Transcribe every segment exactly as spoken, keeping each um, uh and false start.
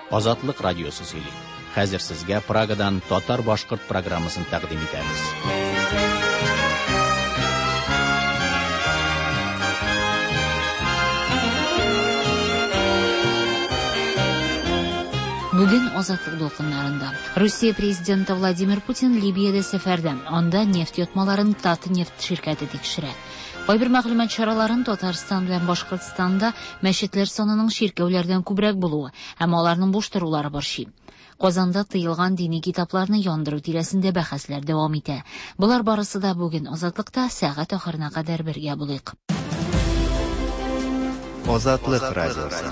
Азатлык радиосы сөйли. Хәзер сезгә Прагадан татар-башкорт программасын тәкъдим итәбез. Бүген Азатлык дулкыннарында. Русия президенты Владимир Путин Либиядә сәфәрдә. Анда нефть ятмаларын Татнефть ширкәте тикшерә. Кайбер мәгълүмат чараларын Татарстан белән Башкортстанда мәчетләр санының чиркәүләрдән күбрәк булуы һәм аларның буш торулары борчый. Казанда тыелган дини китапларны яндыру тирәсендә бәхәсләр дәвам итә. Болар барысы да бүген Азатлыкта сәгать ахырына кадәр бергә булыйк. Азатлык радиосы.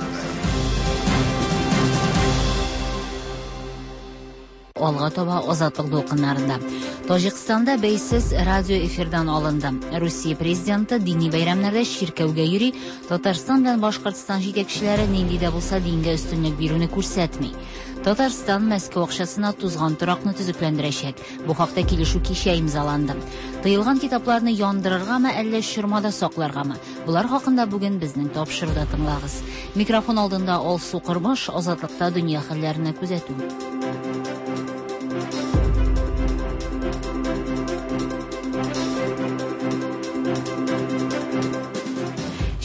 Алга таба Азатлык дулкыннарында. Таҗикстанда бәйсез радио эфирдан алынды. Русия президенты дини бәйрәмнәрдә чиркәүгә йөри, Татарстан белән Башкортстан җитәкчеләре нинди дә булса дингә өстенлек бирүне күрсәтми. Татарстан Мәскәү акчасына тузган торакны төзекләндерәчәк. Бу хакта килешү кичә имзаланды. Тыелган китапларны яндырыргамы, әллә чормада сакларгамы? Болар хакында бүген безнең тапшыруда тыңлагыз. Микрофон алдында Алсу Кормаш, Азатлыкта дөнья хәлләренә күзәтү.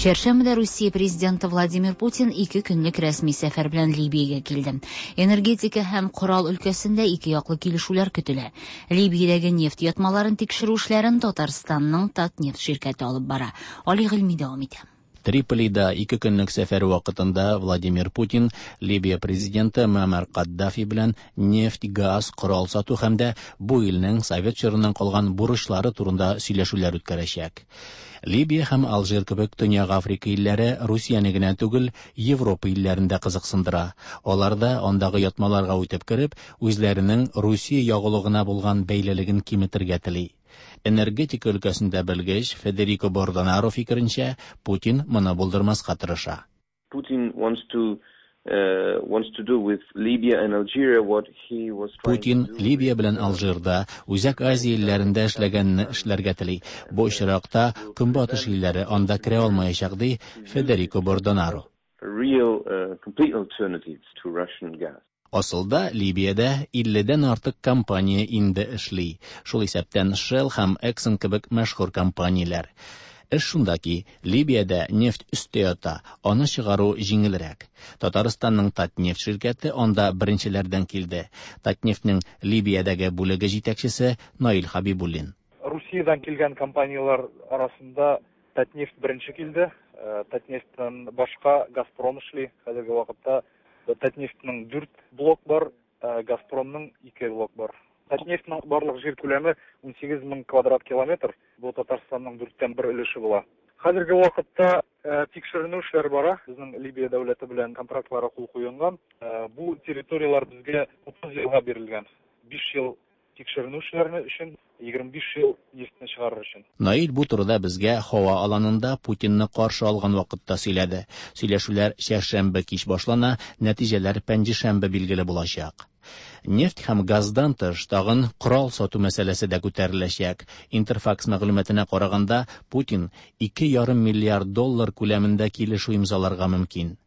Чәршәмбедә Русия президенты Владимир Путин ике көнлек рәсми сәфәр белән Либиягә килде. Энергетика һәм корал өлкәсендә ике яклы килешүләр көтелә. Либиядәге нефть ятмаларын тикшерү эшләрен Татарстанның Татнефть ширкәте алып бара. Али Гыйльми дәвам итә. Триполида ике көнлек сәфәр вакытында Владимир Путин Либия президенты Муаммар Каддафи белән нефть, газ, корал сату һәм дә бу илнең совет чорыннан калган бурычлары турында сөйләшүләр үткәрәчәк. Либия һәм Алжир кебек Төньяк Африка илләре Русияне генә түгел, Европа илләрен дә кызыксындыра. Алар да андагы ятмаларга үтеп кереп, үзләренең Русия ягулыгына булган бәйлелеген киметергә тели. Энергетика өлкәсендә белгеч Федерико Бордонаро фикеренчә, Путин моны булдырмаска тырыша. Putin wants to uh, wants to do with Libya and Algeria what he was trying Путин to do Либия белән Алжирда, Үзәк Азия илләрендә эшләгәнне эшләргә тели. Бу очракта Көнбатыш илләре анда керә алмаячак, ди Федерико Бордонаро. a real uh, complete alternatives to Russian gas. Асылда Либиядә илледән артык компания инде эшли. Шул исәптән Shell һәм Exxon кебек мәшһүр компанияләр. Эш шунда ки, Либиядә нефть өстә ята, аны чыгару җиңелрәк. Татарстанның Татнефть ширкәте анда беренчеләрдән килде. Татнефтьнең Либиядәге бүлеге җитәкчесе Наил Хабибуллин. Русиядән килгән компанияләр арасында Татнефть беренче килде. Э, Татнефтьтән башка Газпром эшли. Хәзерге вакытта Татнефтьнең дүрт блок бар, э, Газпромның ике блок бар. Татнефтьнең барлык җир күләме ун сигез мең квадрат километр. Бу Татарстанның дүрттән бер өлеше була. Хәзерге вакытта, э, тикшеренү эшләре бара. Безнең Либия дәүләте белән контрактлары кул куелган. Э, бу территорияләр безгә утыз елга бирелгән. Биш ел тикшеренү эшләре өчен, егерме биш ел нефтьне чыгарыр өчен. Наил бу турыда безгә һава аланында Путинны каршы алган вакытта сөйләде. Сөйләшүләр чәршәмбе кич башлана, нәтиҗәләр пәнҗешәмбе билгеле булачак. Нефть һәм газдан тыш тагын корал сату мәсьәләсе дә күтәреләчәк. Интерфакс мәгълүматына караганда, Путин ике ярым миллиард доллар күләмендә килешү имзаларга мөмкин.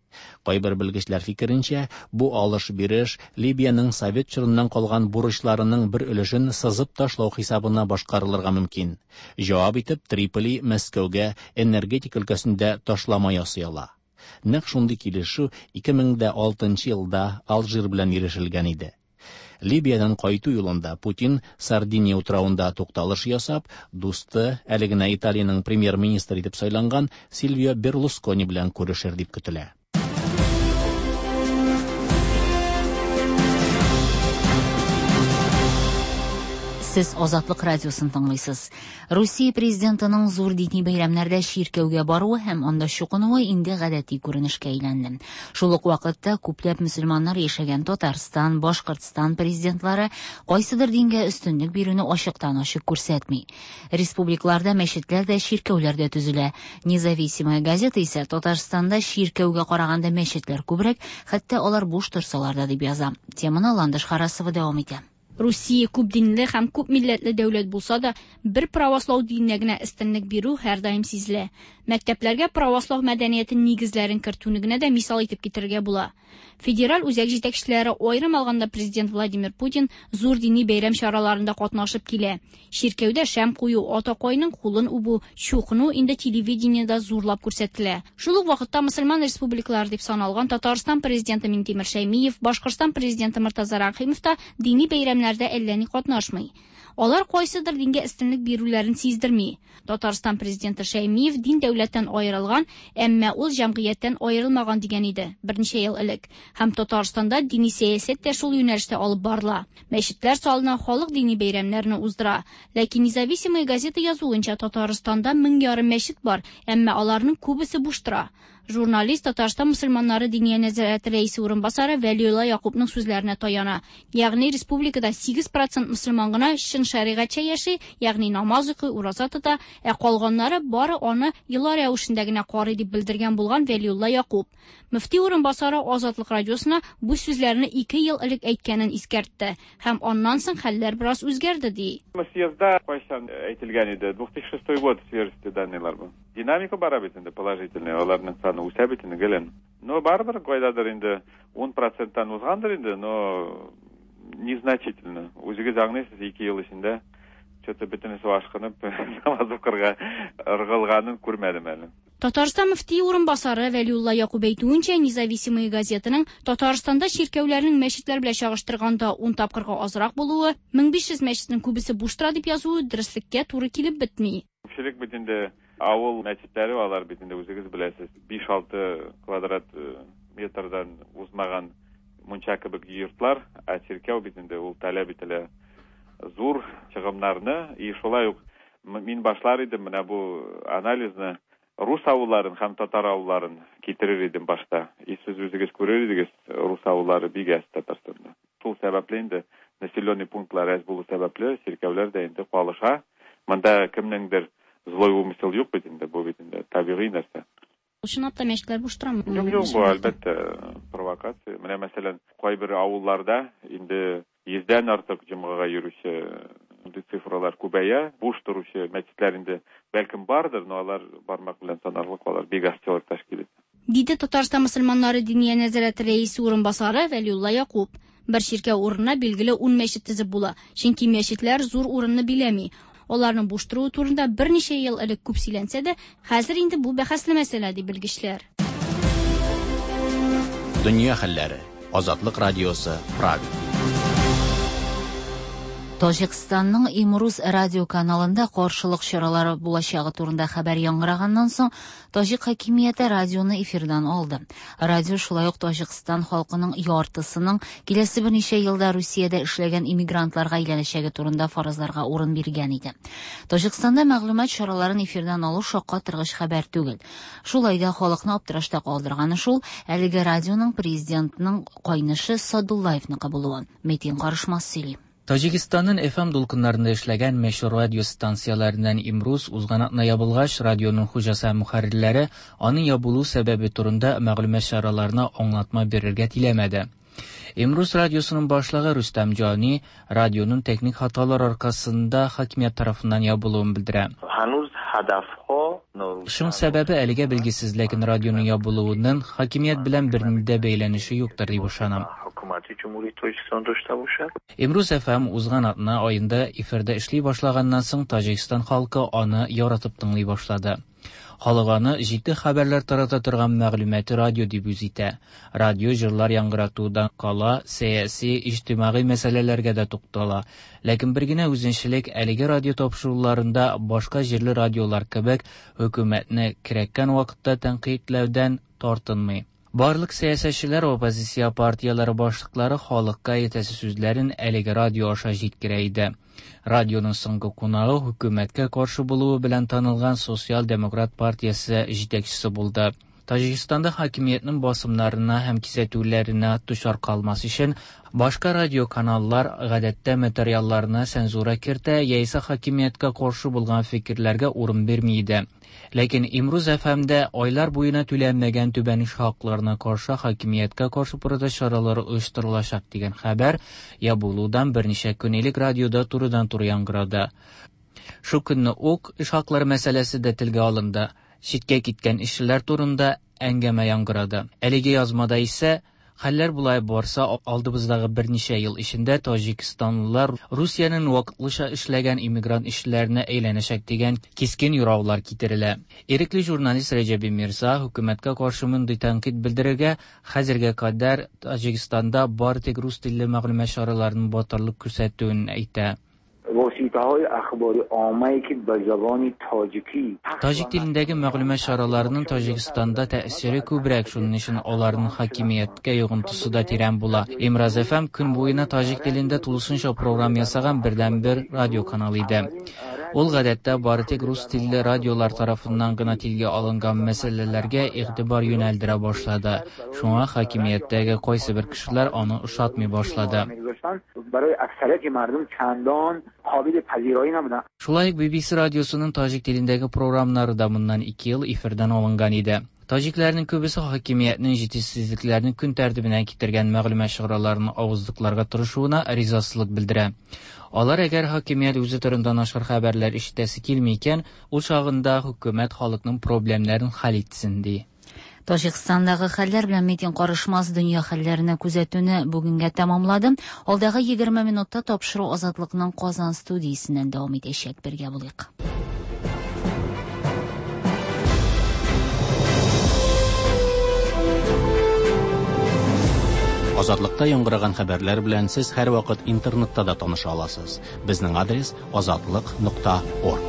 Кайбер белгечләр фикеренчә, бу алыш-биреш Либиянең совет чорыннан калган бурычларының бер өлешен сызып ташлау хисабына башкарылырга мөмкин. Җавап итеп Триполи Мәскәүгә энергетика өлкәсендә ташлама ясый ала. Нәкъ шундый килешү ике мең дә алтынчы елда Алжир белән ирешелгән иде. Либиядән кайту юлында Путин Сардиния утравында тукталыш ясап, дусты, әле генә Италиянең премьер-министры итеп сайланган Сильвио Берлускони белән күрешер дип көтелә. Сез Азатлык радиосын тыңлыйсыз. Русия президентының зур дини бәйрәмнәрдә чиркәүгә баруы һәм анда чукынуы инде гадәти күренешкә әйләнде. Шул ук вакытта күпләп мөселманнар яшәгән Татарстан, Башкортстан президентлары кайсыдыр дингә өстенлек бирүне ачыктан-ачык күрсәтми. Республикаларда мәчетләр дә, чиркәүләр дә төзелә. Независимая газета исә Татарстанда чиркәүгә караганда мәчетләр күбрәк, хәтта алар буш торсалар да дип яза. Теманы Ландыш Харасова дәвам итә. Русия күп динле һәм күп милләтле дәүләт булса да, бер правослау диненә генә өстенлек бирү һәрдаим сизелә. Мәктәпләргә правослау мәдәнияте нигезләрен кертүне генә дә мисал итеп китерергә була. Федераль үзәк җитәкчеләре, аерым алганда президент Владимир Путин, зур дини бәйрәм чараларында катнашып килә. Чиркәүдә шәм кую, атакайның кулын үбү, чукыну инде телевидениедә зурлап күрсәтелә. Шул ук вакытта мөселман республикалары дип саналган Татарстан президенты Минтимер Шәймиев, Башкортстан президенты Мортаза Рәхимов та дини бәйрәмнәрдә әллә ни катнашмый. Алар кайсыдыр дингә өстенлек бирүләрен сиздерми. Татарстан президенты Шәймиев дин дәүләттән аерылган, әмма ул җәмгыятьтән аерылмаган дигән иде берничә ел элек. Һәм Татарстанда дини сәясәт тә шул юнәлештә алып барыла. Мәчетләр салына, халык дини бәйрәмнәрне уздыра. Ләкин Независимая газета язуынча Татарстанда мең ярым мәчет бар, әмма аларның күбесе буш тора. Журналист Татарстан мөселманнары диния нәзарәте рәисе урынбасары Вәлиулла Якупның сүзләренә таяна. Ягъни республикада сигез процент мөселман гына чын шәригатьчә яши, ягъни намаз укый, ураза тота, ә калганнары бары аны йола рәвешендә генә карый дип белдергән булган Вәлиулла Якуп. Мөфти урынбасары Азатлык радиосына бу сүзләрне ике ел элек әйткәнен искәртте һәм аннан соң хәлләр бераз үзгәрде ди. Съездда кайчан әйтелгән иде? две тысячи шестой год свежести данныйлар бу. Динамика бара бит инде положительная, аларның саны үсә бит инде гелен. Но барыбер кайдадыр инде ун проценттан узгандыр инде, но незначительно. Үзегез аңлыйсыз, ике ел эчендә что-то бөтенесе ашкынып намаз укырга ыргылганын күрмәдем әле. Татарстан мөфти урынбасары Вәлиулла Якуп әйтүенчә, Независимая газетаның Татарстанда чиркәүләрнең мәчетләр белән чагыштырганда ун тапкырга азрак булуы, мең биш йөз мәчетнең күбесе буш тора дип язуы дөреслеккә туры килеп бетми. Күпчелек бит инде авыл мәчетләре, алар бит инде үзегез беләсез, биш-алты квадрат метрдан узмаган мунча кебек йортлар, ә чиркәү бит инде ул таләп ителә зур чыгымнарны. И шулай ук мин башлар идем менә бу анализны рус авылларын һәм татар авылларын китерер идем башта. И сез үзегез күрер идегез, рус авыллары бик әз Татарстанда. Шул сәбәпле инде населенный пунктлар әз булу сәбәпле чиркәүләр дә инде калыша. Монда кемнеңдер злой умысел юк бит инде, бу бит инде табигый нәрсә. Чынлап та мәчетләр буш торамы? Юк, юк, бу әлбәттә провокация. Менә мәсәлән, кайбер авылларда инде йөздән артык җомгага йөрүче цифралар күбәя, буш торучы мәчетләр инде бәлкем бардыр, но алар бармак белән санарлык, алар бик аз чыгып тәшкил итә. Диде Татарстан мөселманнары диния нәзарәте рәисе урынбасары Вәлиулла Якуп. Бер чиркәү урынына билгеле ун мәчет төзеп була, чөнки мәчетләр зур урынны биләми. Аларның буш торуы турында берничә ел элек күп сөйләнсә дә, хәзер инде бу бәхәсле мәсьәлә ди белгечләр. Дөнья хәлләре. Азатлык радиосы, Прага. Таҗикстанның Имруз радио каналында каршылык чаралары булачагы турында хәбәр яңгыраганнан соң, таҗик хакимияте радионы эфирдан алды. Радио шулай ук Таҗикстан халкының яртысының киләсе берничә елда Русиядә эшләгән иммигрантларга әйләнәчәге турында фаразларга урын биргән иде. Таҗикстанда мәгълүмат чараларын эфирдан алу шаккатыргыч хәбәр түгел. Шулай да халыкны аптырашта калдырганы шул, әлеге радионың президентның кайнышы Садуллаевныкы булуы. Метин Карышмас сөйли. Таҗикстанның F M дулкыннарында эшләгән мәшһүр радио станцияләреннән Имруз узган атна ябылгач, радионың хуҗасы һәм мөхәррирләре аның ябылу сәбәбе турында мәгълүмат чараларына аңлатма бирергә теләмәде. Имруз радиосының башлыгы Рустам Җани радионың техник хаталар аркасында хакимият тарафыннан ябылуын белдерә. Шуның сәбәбе әлегә билгесез, ләкин радионың ябылуының хакимият белән бернинди дә бәйләнеше юктыр дип ышанам. Имруз F M узган атна аенда эфирдә эшли башлаганнан соң Таҗикстан халкы аны яратып тыңлый башлады. Халык аны җитди хәбәрләр тарата торган мәгълүмати радио дип үз итә. Радио җырлар яңгыратудан кала, сәяси, иҗтимагый мәсьәләләргә дә туктала. Ләкин бер генә үзенчәлек әлеге радио тапшыруларында башка җирле радиолар кебек хөкүмәтне кирәккән вакытта тәнкыйтьләүдән тартынмый. Барлык сәясәтчеләр, оппозиция партияләре башлыклары халыкка әйтәсе сүзләрен әлеге радио аша җиткерә иде. Радионың соңгы кунагы хөкүмәткә каршы булуы белән танылган Социал-демократ партиясе җитәкчесе булды. Таҗикстанда хакимиятнең басымнарына һәм кисәтүләренә дучар калмас өчен башка радиоканаллар гадәттә материалларына цензура кертә яисә хакимияткә каршы булган фикерләргә урын бирми иде. Ләкин Имруз F M'дә айлар буена түләнмәгән түбән эш хакларына каршы хакимияткә каршы протест чаралары оештырылачак дигән хәбәр ябылудан берничә көн элек радиода турыдан-туры яңгырады. Шу көнне үк эш хаклары мәсьәләсе дә телгә алынды. Читкә киткән эшчеләр турында әңгәмә яңгырады. Әлеге язмада исә хәлләр болай барса, алдыбыздагы берничә ел эчендә таҗикстанлылар Русиянең вакытлыча эшләгән иммигрант эшчеләренә әйләнәчәк дигән кискен юраулар китерелә. Ирекле журналист Рәҗәби Мирза хөкүмәткә каршы мондый тәнкыйть белдерергә хәзергә кадәр Таҗикстанда бары тик рус телле мәгълүмат чараларының батырлык күрсәтүен әйтә. Таҗик телендәге мәгълүмат чараларының Таҗикстанда тәэсире күбрәк, шуның өчен аларның хакимияткә йогынтысы да тирән була. Имраз F M көн буена таҗик телендә тулысынча программа ясаган бердәнбер радио канал иде. Ул гадәттә бары тик рус телле радиолар тарафыннан гына телгә алынган мәсьәләләргә игътибар юнәлдерә башлады. Шуңа хакимияттәге кайсы бер кешеләр аны ошатмый башлады. Шулай ук B B C радиосының таҗик телендәге программалары да моннан ике ел эфирдан алынган иде. Таҗикләрнең күбесе хакимиятнең җитешсезлекләрне көн тәртибенә китергән мәгълүмат чараларын авызлыкларга тырышуына ризасызлык белдерә. Алар әгәр хакимият үзе турында начар хәбәрләр ишетәсе килми икән, ул чагында хөкүмәт халыкның проблемнарын хәл итсен, ди. Таҗикстандагы хәлләр белән Митин карышмас дөнья хәлләренә күзәтүне бүгенгә тәмамлады. Алдагы егерме минутта тапшыру Азатлыкның Казан студиясеннән дәвам итәчәк. Бергә булыйк. Азатлыкта яңгыраган хәбәрләр белән сез һәрвакыт интернетта да таныша аласыз. Безнең адрес azatliq нокта org.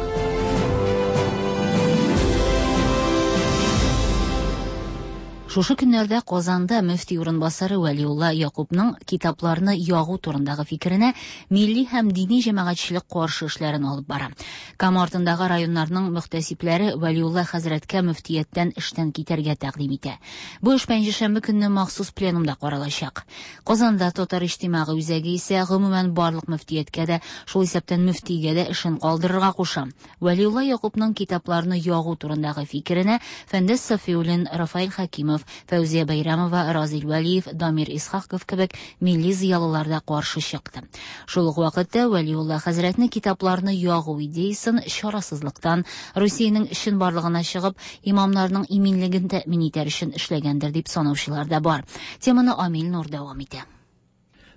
Шушы көннәрдә Казанда мөфти урынбасары Вәлиулла Якупның китапларны ягу турындагы фикеренә милли һәм дини җәмәгатьчелек каршы эшләрен алып бара. Кама артындагы районнарның мөхтәсибләре Вәлиулла хәзрәткә мөфтияттән эштән китәргә тәкъдим итә. Бу эш пәнҗешәмбе көнне махсус пленумда каралачак. Казанда Татар иҗтимагый үзәге исә гомумән барлык мөфтияткә дә, шул исәптән мөфтигә дә эшен калдырырга куша. Вәлиулла Якупның китапларны ягу турындагы фикеренә Фәндәс Сафиуллин, Рафаэль Хәкимов, Фәүзия Бәйрәмова, Разил Вәлиев, Дамир Исхаков кебек милли зыялылар да каршы чыкты. Шул ук вакытта Вәлиулла хәзрәтне китапларны ягу идеясын чарасызлыктан, Русиянең чынбарлыгына чыгып, имамнарның иминлеген тәэмин итәр өчен эшләгәндер дип санаучылар да бар. Теманы Амил Нур дәвам итә.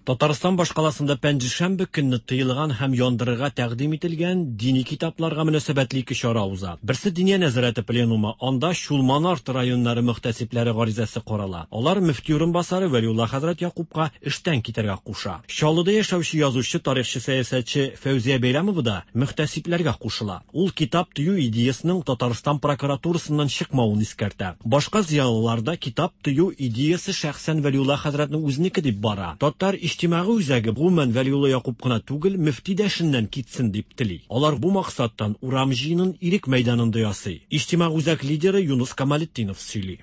Татарстан башкаласында пәнҗешәмбе көнне тыелган һәм яндырырга тәкъдим ителгән дини китапларга мөнәсәбәтле ике чара уза. Берсе Диния нәзарәте пленумы, анда Чулман арты районнары мөхтәсибләре гаризасы карала. Алар мөфти урынбасары Вәлиулла хәзрәт Якупка эштән китәргә куша. Чаллыда яшәүче язучы, тарихчы, сәясәтче Фәүзия Бәйрәмова да мөхтәсибләргә кушыла. Ул китап тыю идеясының Татарстан прокуратурасыннан чыкмавын искәртә. Башка зыялылар да китап тыю идеясы шәхсән Вәлиулла хәзрәтнең үзенеке дип бара. Татар иҗтимагый үзәге гомумән Вәлиулла Якуп кына түгел, мөфти дә эшеннән китсен дип тели. Алар бу максаттан урам җыенын Ирек мәйданында ясый. Иҗтимагый үзәк лидеры Юнус Камалетдинов сөйли.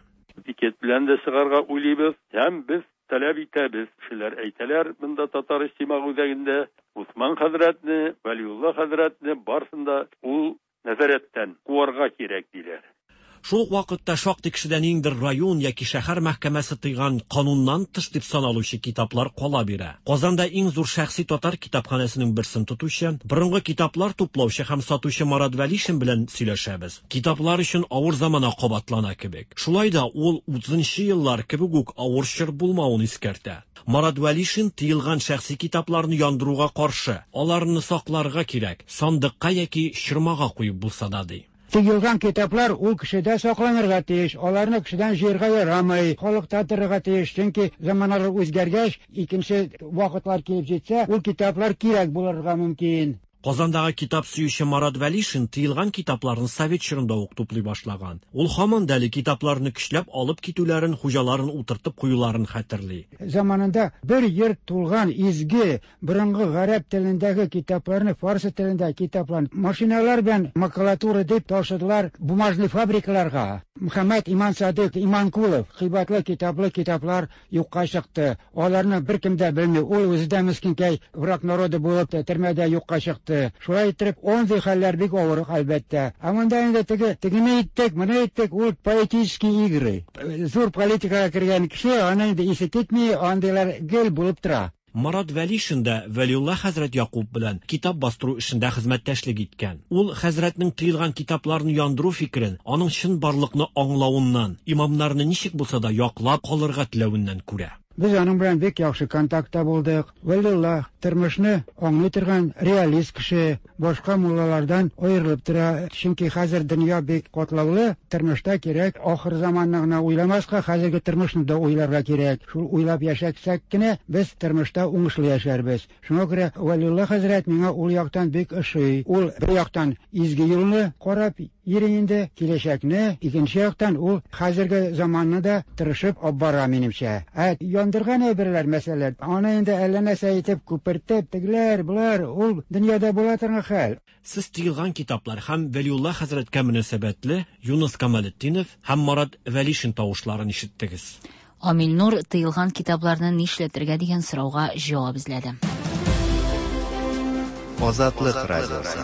Пикет белән дә чыгарга уйлыйбыз һәм без таләп итәбез. Кешеләр әйтәләр, монда Татар иҗтимагый үзәгендә Усман хәзрәтне, Вәлиулла хәзрәтне барсын да ул нәзарәттән куарга кирәк, диләр. Шул ук вакытта шактый кешедән ниндидер район яки шәһәр мәхкәмәсе тыйган, кануннан тыш дип саналучы китаплар кала бирә. Казанда иң зур шәхси татар китапханәсенең берсен тотучы, борынгы китаплар туплаучы һәм сатучы Марат Вәлишин белән сөйләшәбез. Китаплар өчен авыр замана кабатлана кебек. Шулай да ул утызынчы еллар кебек үк авыр чор булмавын искәртә. Марат Вәлишин тыелган шәхси китапларны яндыруга каршы. Аларны сакларга кирәк, сандыкка яки чормага куеп булса да, ди. Тыелган китаплар ул кешедә сакланырга тиеш, аларны кешедән җыярга ярамый, халыкта торырга тиеш, чөнки заманалар үзгәргәч, икенче вакытлар килеп җитсә, ул китаплар кирәк булырга мөмкин. Казандагы китап сөюче Марат Вәлишин тыелган китапларны совет чорында ук туплый башлаган. Ул һаман да әле китапларны көчләп алып китүләрен, хуҗаларын утыртып куюларын хәтерли. Заманында бер йорт тулган изге борынгы гарәп телендәге китапларны, фарсы телендәге китапларны машиналар белән макулатура дип ташыдылар бумажный фабрикаларга. Мөхәммәт Иман Садык Иманкулов кыйбатлы китаплы китаплар юкка чыкты. Аларны беркем дә белми. Ул үзе дә мескенкәй враг народа булып төрмәдә юкка чыкты. Шулай итеп, андый хәлләр бик авыр, әлбәттә. Ә монда инде теге тегене иттек, моны иттек, ул политические игры. Зур политикага кергән кеше, аны инде исе китми, андыйлар гел булып тора. Марат Вәлишин дә Вәлиулла хәзрәт Якуб белән китап бастыру эшендә хезмәттәшлек иткән. Ул хәзрәтнең тыелган китапларны яндыру фикерен, аның чынбарлыкны аңлавыннан, имамнарны ничек булса да яклап калырга теләвеннән күрә. Без аның белән бик яхшы контактта булдык. Вәлиулла тормышны аңлый торган реалист кеше, башка муллалардан аерылып тора. Чөнки хәзер дөнья бик катлаулы, тормышта кирәк ахыр заманны гына уйламаска, хәзерге тормышны да уйларга кирәк. Шул уйлап яшәсәк кенә без тормышта уңышлы яшәрбез. Шуңа күрә Вәлиулла хәзрәт миңа ул яктан бик ошый. Ул бер яктан изге юлны карап йөри инде, киләчәкне, икенче яктан ул хәзерге заманны да тырышып алып бара минемчә. Ә яндырган әйберләр, мәсәлән, аны инде әллә нәрсә итеп күпертеп, тегеләр, болар, ул дөньяда була торган хәл. Сез тыелган китаплар һәм Вәлиулла хәзрәткә мөнәсәбәтле Юныс Камалетдинов һәм Марат Вәлишин тавышларын ишеттегез. Амил Нур тыелган китапларны нишләтергә дигән сорауга җавап эзләде. Азатлык радиосы.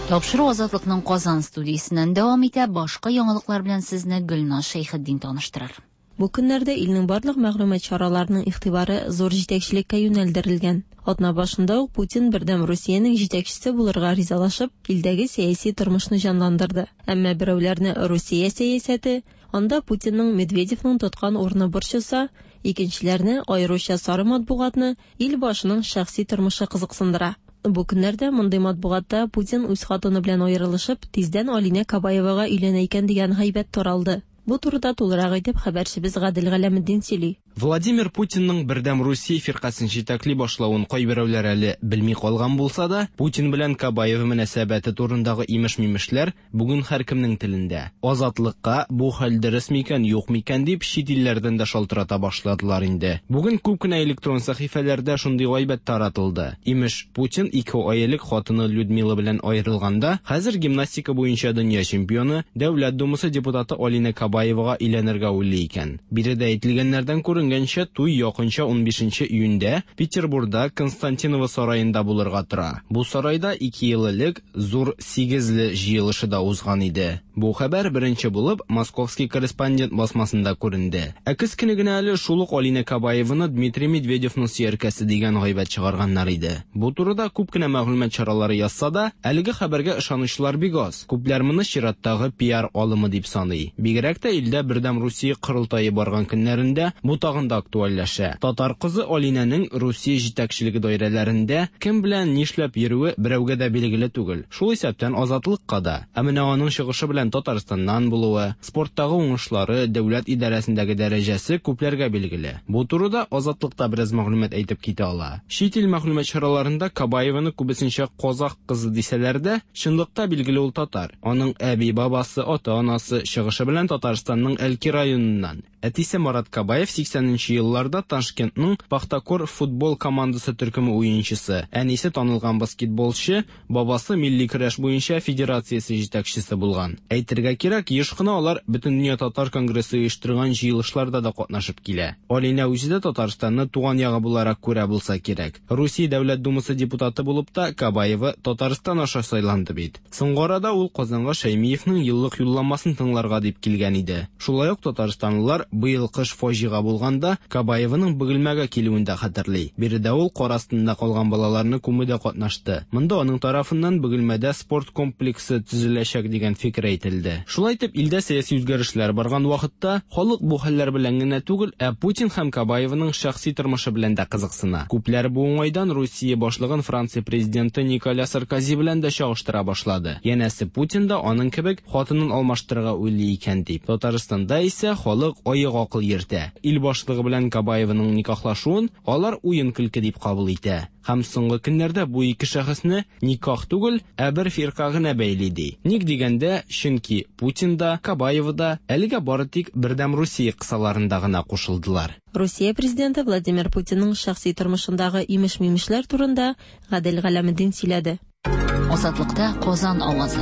Тапшыру Азатлыкның Казан студиясеннән дәвам итә. Башка яңалыклар белән сезне Гөлназ Шәйхетдин таныштырыр. Бу көннәрдә илнең барлык мәгълүмат чараларының игътибары зур җитәкчелеккә юнәлдерелгән. Атна башында ук Путин Бердәм Русиянең җитәкчесе булырга ризалашып, илдәге сәяси тормышны җанландырды. Әмма берәүләрне Русия сәясәте, анда Путинның Медведевның тоткан урыны борчыса, икенчеләрне, аеруча сары матбугатны, ил башының шәхси тормышы кызыксындыра. Бу көннәрдә мондый матбугатта Путин үз хатыны белән аерылышып, тиздән Алинә Кабаевага өйләнә икән дигән гайбәт таралды. Бу турыда тулырак итеп хәбәрчебез Гадел Галәметдин сөйли. Владимир Путинның Бердәм Русия фиркасын җитәкли башлавын кайберәүләр әле белми калган булса да, Путин белән Кабаева мөнәсәбәте турындагы имеш-мимешләр бүген һәркемнең телендә. Азатлыкка бу хәл дөрес микән, юк микән дип чит илләрдән дә шалтырата башладылар инде. Бүген күп кенә электрон сәхифәләрдә шундый гайбәт таратылды. Имеш, Путин ике ай элек хатыны Людмила белән аерылганда, хәзер гимнастика буенча дөнья чемпионы, Дәүләт Думасы депутаты Алина Кабаевага өйләнергә уйлый икән. Биредә әйтелгәннәрдән күренгәнчә, туй якынча унбишенче июньдә Петербургда Константиново сараенда булырга тора. Бу сарайда ике ел элек зур сигезле җыелышы да узган иде. Бу хәбәр беренче булып Московский корреспондент басмасында күренде. Ә көз көне генә әле шул ук Алина Кабаеваны Дмитрий Медведевның сөяркәсе дигән гайбәт чыгарганнар иде. Бу турыда күп кенә мәгълүмат чаралары язса да, әлеге хәбәргә ышанучылар бик аз. Күпләр моны чираттагы пиар алымы дип саный. Бигрәк тә илдә Бердәм Русия корылтае барган көннәрендә бу тагын да актуальләшә. Татар кызы Алинәнең Русия җитәкчелеге даирәләрендә кем белән нишләп йөрүе берәүгә дә билгеле түгел. Шул исәптән Азатлыкка да. Ә менә аның чыгышы белән Татарстаннан булуы, спорттагы уңышлары, дәүләт идарәсендәге дәрәҗәсе күпләргә билгеле. Бу турыда Азатлыкта бераз мәгълүмат әйтеп китә ала. Чит ил мәгълүмат чараларында Кабаеваны күбесенчә казах кызы дисәләр дә, чынлыкта билгеле ул татар. Аның әби-бабасы, ата-анасы чыгышы белән Татарстанның Әлки районыннан. Әтисе Марат Кабаев сиксәненче елларда Ташкентның Пахтакор футбол командасы төркеме уенчысы, әнисе танылган баскетболчы, бабасы милли көрәш буенча федерациясе җитәкчесе булган. Әйтергә кирәк, еш кына алар Бөтендөнья татар конгрессы оештырган җыелышларда да катнашып килә. Алинә үзе дә Татарстанны туган ягы буларак күрә булса кирәк. Русия Дәүләт Думасы депутаты булып та Кабаева Татарстан аша сайланды бит. Соңгы арада ул Казанга Шәймиевның еллык юлламасын тыңларга дип килгән иде. Шулай ук татарстанлылар быел кыш фаҗига булганда Кабаеваның Бөгелмәгә килүен дә хәтерли. Биредә ул кар астында калган балаларны күмүдә катнашты. Монда аның тарафыннан Бөгелмәдә спорт комплексы төзеләчәк дигән фикер әйтелде. Шулай итеп, илдә сәяси үзгәрешләр барган вакытта халык бу хәлләр белән генә түгел, ә Путин һәм Кабаеваның шәхси тормышы белән дә кызыксына. Күпләр бу уңайдан Русия башлыгын Франция президенты Николя Саркози белән дә чагыштыра башлады. Янәсе, Путин да аның кебек хатынын алмаштырырга уйлый икән дип. Татарстанда исә халык аек акыл йөртә. Ил башлыгы башлыгы белән Кабаеваның никахлашуын алар уен-көлке дип кабул итә. Һәм соңгы көннәрдә бу ике шәхесне никах түгел, ә бер фирка гына бәйли ди. Ник дигәндә, чөнки Путин да, Кабаева да әлегә бары тик Бердәм Русия кысаларында гына кушылдылар. Русия президенты Владимир Путинның шәхси тормышындагы имеш-мимешләр турында Гадел Галәметдин сөйләде. Азатлыкта Казан авазы.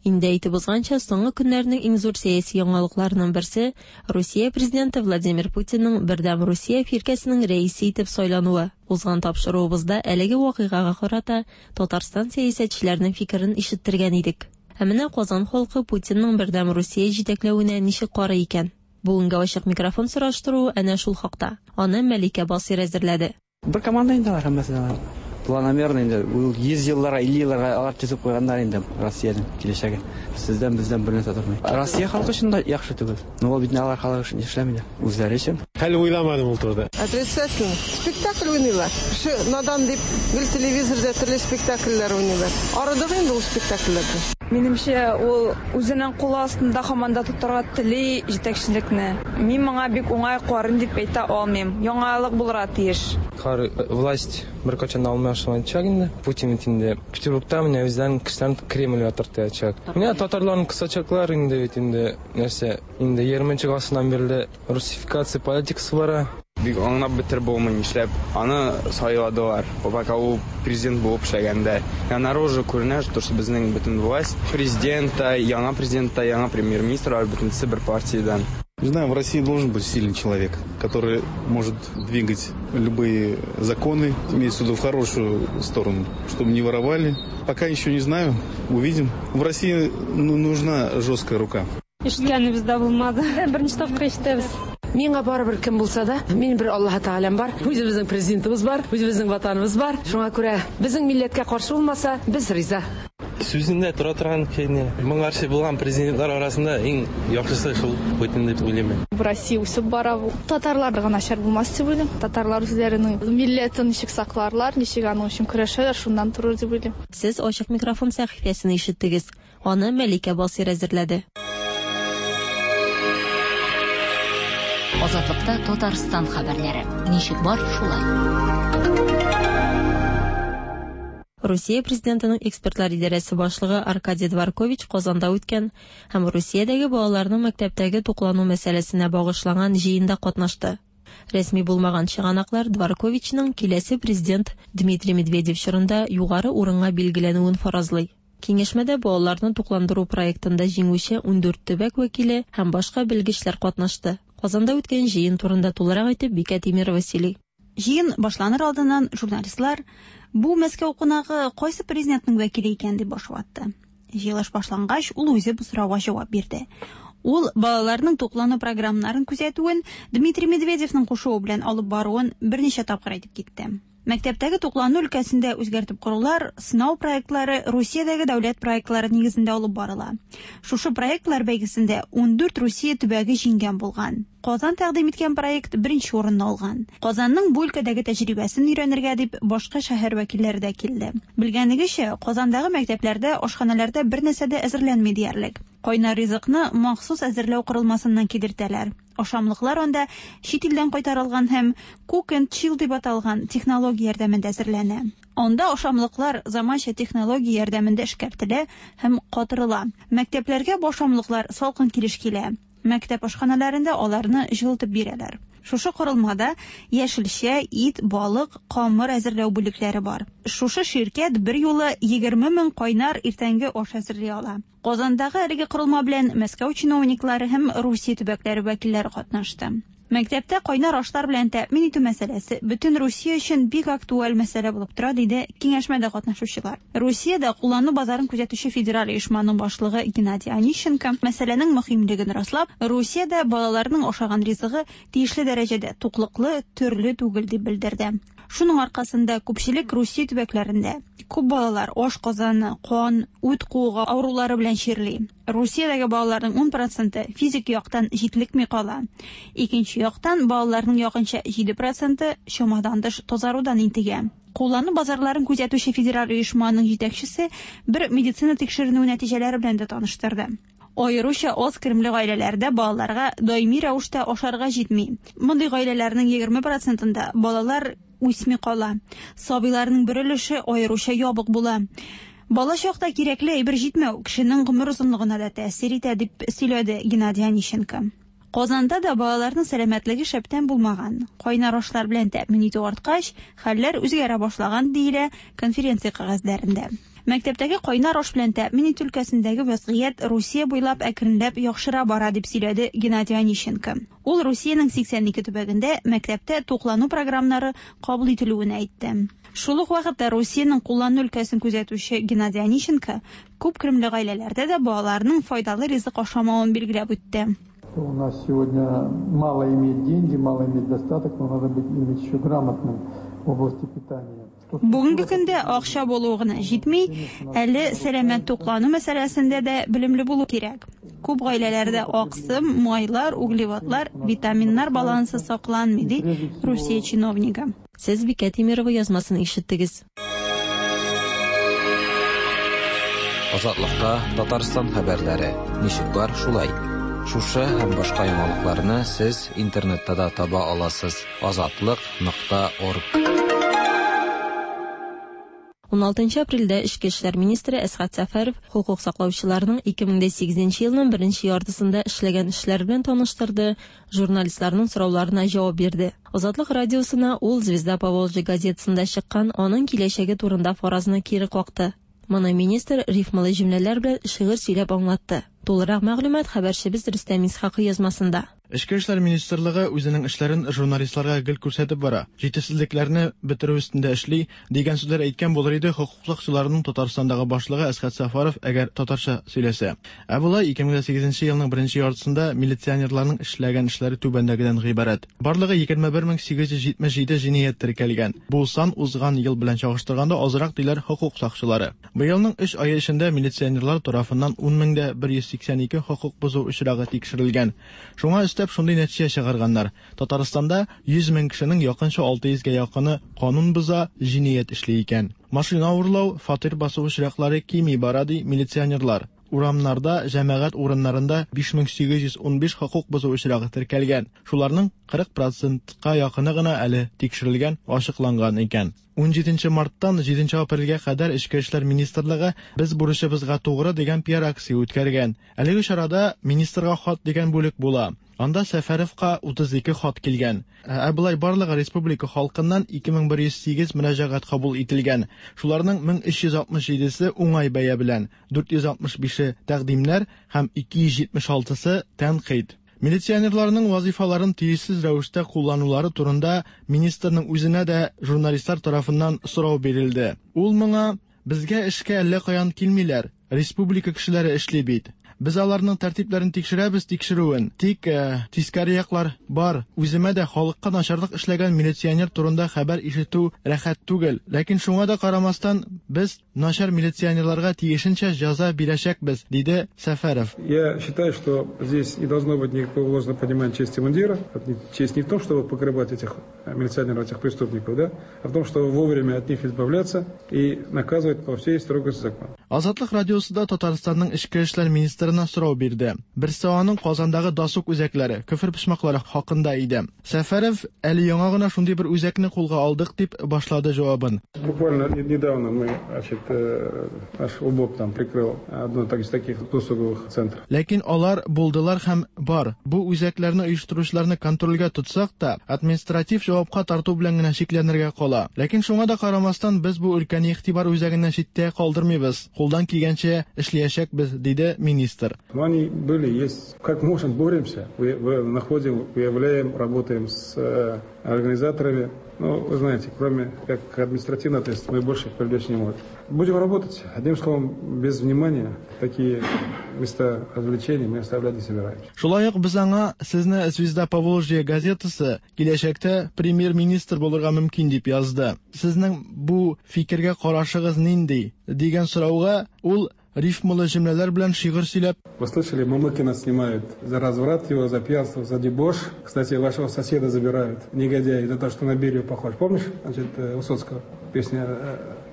Инде әйтеп узганча, соңгы көннәрнең иң зур сәяси яңалыкларының берсе Русия президенты Владимир Путинның Бердәм Русия фиркәсенең рәисе итеп сайлануы. Узган тапшыруыбызда әлеге вакыйгага карата Татарстан сәясәтчеләренең фикерен ишеттергән идек. Ә менә Казан халкы Путинның Бердәм Русия җитәкләвенә ничек карый икән? Бүгенге ачык микрофон сораштыруы әнә шул хакта. Аны Мәликә Басир әзерләде. Бер команда инде алар һәммәсе дә. Планомерно инде ул йөз елларга, илле елларга алар төзеп куйганнар инде Россиянең киләчәге. Сездән бездән бер нәрсә тормый. Россия халкы өчен дә яхшы түгел. Но ул бит алар халкы өчен эшләми. Үзләре өчен. Хәл уйламадым ул турыда. Отрицательно. Спектакль уйныйлар. Кеше надан дип гел телевизорда төрле спектакльләр уйныйлар. Арыдык инде ул спектакльләрдән. Минемчә, ул үзенең кулы астында һаман да тотарга тели җитәкчелекне. Мин моңа бик уңай карыйм дип әйтә алмыйм. Яңалык булырга тиеш. Хар власть беркайчан да алмашыначак инде. Путин бит инде Петербургта менә үзләрен кешеләрен Кремльгә тартачак. Менә татарларны кысачаклар инде бит инде нәрсә инде егерменче гасырдан бирле русификация политикасы бара. Бик аңлап бетереп булмый нишләп аны сайладылар. Пока ул президент булып эшләгәндә. Наружу күренә, что безнең бөтен власть президент та, яңа президент та, яңа премьер-министр, алар бөтенесе бер партиядән. Не знаю, в России должен быть сильный человек, который может двигать любые законы, имеется в виду в хорошую сторону, чтобы не воровали. Пока еще не знаю, увидим. В России нужна жесткая рука. Ишеткәнебез дә булмады. Беренче тапкыр ишетәбез. Миңа барыбер кем булса да, минем бер Аллаһ Тәгаләм бар, үзебезнең президентыбыз бар, үзебезнең ватаныбыз бар. Шуңа күрә безнең милләткә каршы булмаса, без риза. Сүзендә тора торган кешене моңарчы булган президентлар арасында иң яхшысы шул Путин дип уйлыйм. Россия үсеп бара. Татарларга начар булмас дип уйлыйм. Татарлар үзләренең милләтен ничек сакларлар, ничек аның өчен көрәшәләр, шуннан торыр дип уйлыйм. Сез ачык микрофон сәхифәсен ишеттегез. Аны Мәликә Басир әзерләде. Азатлыкта Татарстан хәбәрләре. Ничек бар, шулай. Русия президентының экспертлар идарәсе башлыгы Аркадий Дворкович Казанда үткән һәм Русиядәге балаларның мәктәптәге туклану мәсьәләсенә багышланган җыенда катнашты. Рәсми булмаган чыганаклар Дворковичның киләсе президент Дмитрий Медведев чорында югары урынга билгеләнүен фаразлый. Киңәшмәдә балаларны тукландыру проектында җиңүче ундүрт төбәк вәкиле һәм башка белгечләр катнашты. Казанда үткән җыен турында тулырак итеп Бикә Тимирова сөйли. Җыен башланыр алдыннан журналистлар бу Мәскәү кунагы кайсы президентның вәкиле икән дип баш ватты. Җыелыш башлангач, ул үзе бу сорауга җавап бирде. Ул балаларның туклану программаларын күзәтүен Дмитрий Медведевның кушуы белән алып баруын берничә тапкыр әйтеп китте. Мәктәптәге туклану өлкәсендә үзгәртеп корулар, сынау проектлары Русиядәге дәүләт проектлары нигезендә алып барыла. Шушы проектлар бәйгесендә ундүрт Русия төбәге җиңгән булган. Казан тәкъдим иткән проект беренче урынны алган. Казанның бу өлкәдәге тәҗрибәсен өйрәнергә дип башка шәһәр вәкилләре дә килде. Белгәнегезчә, Казандагы мәктәпләрдә ашханаларда бер нәрсә дә әзерләнми диярлек. Кайнар ризыкны махсус әзерләү корылмасыннан кидертәләр. Ашамлыклар анда чит илдән кайтарылган һәм cook and chill дип аталган технология ярдәмендә әзерләнә. Анда ашамлыклар заманча технология ярдәмендә эшкәртелә һәм катырыла. Мәктәпләргә бу ашамлыклар салкын килеш килә. Мәктәп ашханаларында аларны җылытып бирәләр. Шушы корылмада яшелчә, ит, балык, камыр әзерләү бүлекләре бар. Шушы ширкәт бер юлы егерме мең кайнар иртәнге аш әзерли ала. Казандагы әлеге корылма белән Мәскәү чиновниклары һәм Русия төбәкләре вәкилләре катнашты. Мәктәптә кайнар ашлар белән тәэмин итү мәсьәләсе бөтен Русия өчен бик актуаль мәсьәлә булып тора, диде киңәшмәдә катнашучылар. Русиядә куллану базарын күзәтүче федераль оешманың башлыгы Геннадий Онищенко мәсьәләнең мөһимлеген раслап, Русиядә балаларның ашаган ризыгы тиешле дәрәҗәдә туклыклы, төрле түгел дип белдерде. Шуның аркасында күпчелек Русия төбәкләрендә күп балалар аш казаны, кан, үт куыгы авырулары белән чирли. Русиядәге балаларның ун проценты физик яктан җитлекми кала. Икенче яктан балаларның якынча җиде проценты чамадан тыш тазарудан интегә. Куллану базарларын күзәтүче федераль оешманың җитәкчесе бер медицина тикшеренүе нәтиҗәләре белән дә таныштырды. Аеруча аз керемле гаиләләрдә балаларга даими рәвештә ашарга җитми. Мондый гаиләләрнең егерме процентында балалар үсми кала. Сабыйларның бер өлеше аеруча ябык була. Бала чакта кирәкле әйбер җитмәү кешенең гомер озынлыгына да тәэсир итә, дип сөйләде Геннадий Онищенко. Казанда да балаларның сәламәтлеге шәптән булмаган. Кайнар ашлар белән тәэмин итү арткач, хәлләр үзгәрә башлаган, диелә конференция кәгазьләрендә. Мәктәптәге кайнар аш белән тәэмин итү өлкәсендәге вазгыять Русия буйлап әкренләп яхшыра бара, дип сөйләде Геннадий Онищенко. Ул Русиянең сиксән ике төбәгендә мәктәптә туклану програмнары кабул ителүен әйтте. Шул ук вакытта Русиянең куллану өлкәсен күзәтүче Геннадий Онищенко күп керемле гаиләләрдә дә балаларның файдалы ризык ашамавын билгеләп үтте. У нас сегодня мало иметь деньги, мало иметь достаток, но надо быть иметь еще грамотным в области питания. Бүгенге көндә акча булуы гына җитми, әле сәламәт туклану мәсьәләсендә дә белемле булу кирәк. Күп гаиләләрдә аксым, майлар, углеводлар, витаминнар балансы сакланмый, ди Русия чиновнигы. Сез Бикә Тимирова язмасын ишеттегез. Азатлыкта Татарстан хәбәрләре ничек бар шулай. Шушы һәм башка яңалыкларны сез интернетта да таба аласыз. Азатлык нокта орг. ун алтынчы апрельдә Эчке эшләр министры Әсхәт Сәфәров хокук саклаучыларның ике мең дә сигезенче елның беренче яртысында эшләгән эшләр белән таныштырды, журналистларның сорауларына җавап бирде. Азатлык радиосына ул Звезда Поволжья газетасында чыккан аның киләчәге турында фаразны кире какты. Моны министр рифмалы җөмләләр белән шигырь сөйләп аңлатты. Тулырак мәгълүмат хәбәрчебез Рөстәм Исхакый язмасында. Эчке эшләр министрлыгы үзенең эшләрен журналистларга гел күрсәтеп бара. Җитешсезлекләрне бетерү өстендә эшли дигән сүзләр әйткән булыр иде хокук сакчыларының Татарстандагы башлыгы Әсхәт Сәфәров, әгәр татарча сөйләсә. Ә болай ике мең сигезенче елның беренче яртысында милиционерларның эшләгән эшләре түбәндәгедән гыйбарәт. Барлыгы егерме бер мең сигез йөз җитмеш җиде җинаять теркәлгән. Бу сан узган ел белән чагыштырганда азрак, диләр хокук сакчылары. Быелның өч ае эчендә милиционерлар тарафыннан ун мең дә бер йөз сиксән ике хокук бозу очрагы тикшерелгән. Шуңа өстәп шундый нәтиҗә чыгарганнар. Татарстанда йөз мең кешенең якынча алты йөзгә якыны канун боза, җинаять эшли икән. Машина урлау, фатир басу очраклары кими бара, ди милиционерлар. Урамнарда, җәмәгать урыннарында биш мең сигез йөз ун биш хокук бозу очрагы теркәлгән. Шуларның кырык процентка якыны гына әле тикшерелгән, ачыкланган икән. ун җиденче марттан җиденче апрельгә кадәр Эчке эшләр министрлыгы "Без бурычыбызга тугры" дигән пиар акция үткәргән. Әлеге чарада министрга хат дигән бүлек була. Анда Сәфәровка утыз ике хат килгән. Ә болай барлыгы республика халкыннан ике мең бер йөз сигез мөрәҗәгать кабул ителгән. Шуларның мең өч йөз алтмыш җидесе уңай бәя белән, дүрт йөз алтмыш бише тәкъдимнәр һәм ике йөз җитмеш алтысы тәнкыйть. Милиционерларның вазифаларын тиешсез рәвештә кулланулары турында министрның үзенә дә журналистлар тарафыннан сорау бирелде. Ул моңа: "Безгә эшкә әллә каян килмиләр, республика кешеләре эшли бит. Без аларның тәртипләрен тикшерәбез тикшерүен. Тик, э, тискәре яклар бар. Үземә дә халыкка начарлык эшләгән милиционер турында хәбәр ишетү рәхәт түгел. Ләкин шуңа да карамастан без начар милиционерларга тиешенчә җәза бирәчәкбез", диде Сәфәров. Я считаю, что здесь не должно быть никакого ложного понимания чести мундира. Честь не в том, чтобы покрывать этих милиционеров, этих преступников, да, а в том, чтобы вовремя от них избавляться и наказывать по всей строгости закона. Азатлык радиосы да Татарстанның эчке эшләр министрына сорау бирде. Берсе аның Казандагы досуг үзәкләре, көфер почмаклары хакында иде. Сәфәров әле яңа гына шундый бер үзәкне кулга алдык дип башлады җавабын. Буквально недавно мы, значит, наш УБОП там прикрыл одно из таких досуговых центров. Ләкин алар булдылар һәм бар. Бу үзәкләрне оештыручыларны контрольгә тотсак та, административ җавапка тарту белән генә чикләнергә кала. Ләкин шуңа да карамастан без бу өлкәне игътибар үзәгеннән читтә калдырмыйбыз. Кулдан килгәнчә эшләячәкбез, диде министр. Но они были, есть. Как можем, боремся, находим, выявляем, работаем с организаторами. Ну, вы знаете, кроме как административной ответственности, мы больше привлечь не можем. Будем работать. Одним словом, без внимания такие места развлечений мы оставлять не собираемся. Шулай ук без аңа сезне Звезда Поволжья газетасы киләчәктә премьер-министр булырга мөмкин дип язды. Сезнең бу фикергә карашыгыз нинди дигән сорауга ул рифмалы җөмләләр белән шигырь сөйләп: Вы слышали, Мамыкина снимают за разврат его, за пьянство, за дебош. Кстати, вашего соседа забирают, негодяй, за то, что на Берию похож. Помнишь, значит, Высоцкого песня,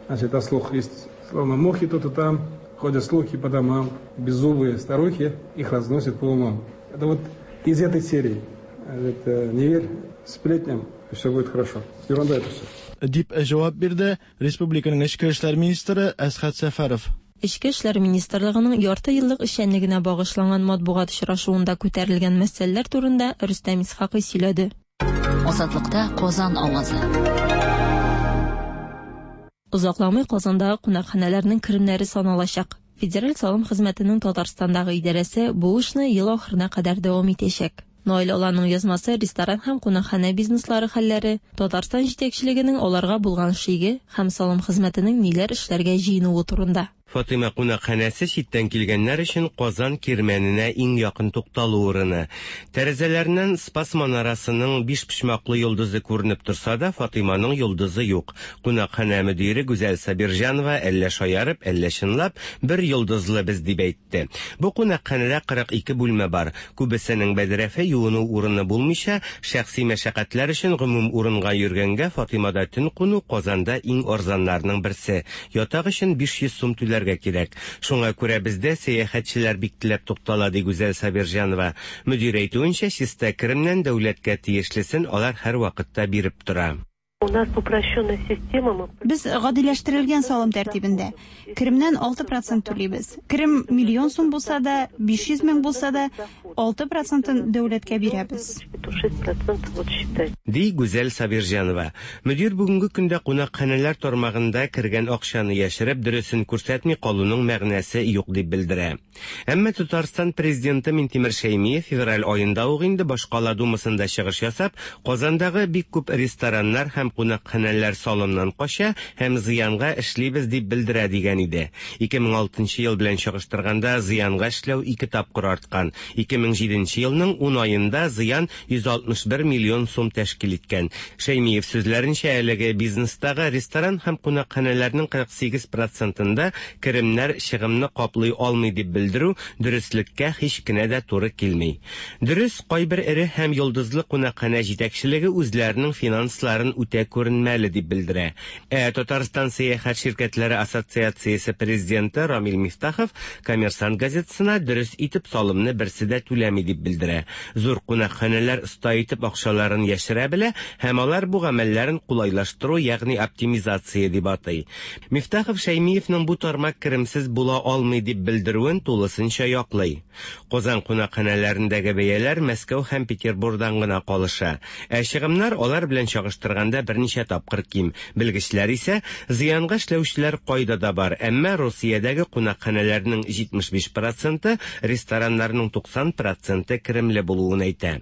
значит, о слух есть, словно мухи тут и там, Ходят слухи по домам, беззубые старухи их разносят по умам. Это вот из этой серии. Это не верь сплетням, все будет хорошо. Ерунда это все. Дип җавап бирде республиканың эчке эшләр министры Әсхәт Сәфәров. Эчке эшләр министрлыгының ярты еллык эшчәнлегенә багышланган матбугат очрашуында күтәрелгән мәсьәләләр турында Рөстәм Исхакый сөйләде. Азатлыкта Казан авазы. Озакламый Казандагы кунакханәләрнең керемнәре саналачак. Федераль салым хезмәтенең Татарстандагы идарәсе бу эшне ел ахырына кадәр дәвам итәчәк. Наил Аланның язмасы ресторан һәм кунакханә бизнеслары хәлләре, Татарстан җитәкчелегенең аларга булган шиге һәм салым хезмәтенең ниләр эшләргә җыенуы турында. Фатыйма кунакханәсе читтән килгәннәр өчен Казан кирмәненә иң якын тукталу урыны. Тәрәзәләреннән Спас манарасының биш почмаклы йолдызы күренеп торса да, Фатыйманың йолдызы юк. Кунакханә мөдире Гүзәл Сабирҗанова әллә шаярып, әллә чынлап, бер йолдызлы без дип әйтте. Бу кунакханәдә кырык ике бүлмә бар. Күбесенең бәдрәфе юыну урыны булмыйча, шәхси мәшәкатьләр өчен гомум урынга йөргәнгә Фатыймада төн куну Казанда иң арзаннарның берсе. Ятак өчен биш йөз сум түләргә кирәк. Шуңа күрә бездә сәяхәтчеләр бик теләп туктала, ди Гүзәл Сабирҗанова. Мөдир әйтүенчә, чиста керемнән дәүләткә тиешлесен алар һәр вакытта биреп тора. У нас упрощенная система. Мы... Без гадиләштерелгән салым тәртибендә. Керемнән алты процент түлибез. Керем миллион сум булса да, биш йөз мең булса да, алты процентын дәүләткә бирәбез. Ди Гүзәл Сабирҗанова. Мөдир бүгенге көндә кунакханәләр тармагында кергән акчаны яшереп, дөресен күрсәтми калуның мәгънәсе юк дип белдерә. Әмма Татарстан президенты Минтимер Шәймиев февраль аенда ук инде башкала думасында чыгыш ясап, Казандагы бик күп рестораннар һәм кунакханәләр салымнан кача һәм зыянга эшлибез дип белдерә дигән иде. ике мең алтынчы ел белән чагыштырганда зыянга эшләү ике тапкыр арткан. ике мең җиденче елның ун аенда зыян йөз алтмыш бер миллион сум тәшкил иткән. Шәймиев сүзләренчә, әлеге бизнестагы ресторан һәм кунакханәләрнең кырык сигез процентында керемнәр чыгымны каплый алмый дип белдерү дөреслеккә һич кенә дә туры килми. Дөрес, кайбер эре һәм йолдызлы кунакханә җитәкчелеге үзләренең финансларын үтә күренмәле дип белдерә. Ә Татарстан сәяхәт ширкәтләре ассоциациясе президенты Рамил Мифтахов Коммерсант газетасына дөрес итеп салымны берсе дә түләми дип белдерә. Зур кунакханәләр оста итеп акчаларын яшерә белә һәм алар бу гамәлләрен кулайлаштыру, ягъни оптимизация дип атый. Мифтахов Шәймиевның бу тармак керемсез була алмый дип белдерүен тулысынча яклый. Казан кунакханәләрендәге бәяләр Мәскәү һәм Петербургдан гына калыша. Ә чыгымнар алар белән чагыштырганда берничә тапкыр ким. Белгечләр исә зыянга эшләүчеләр кайда да бар, әмма Русиядәге кунакханәләрнең җитмеш биш проценты, рестораннарның туксан проценты керемле булуын әйтә.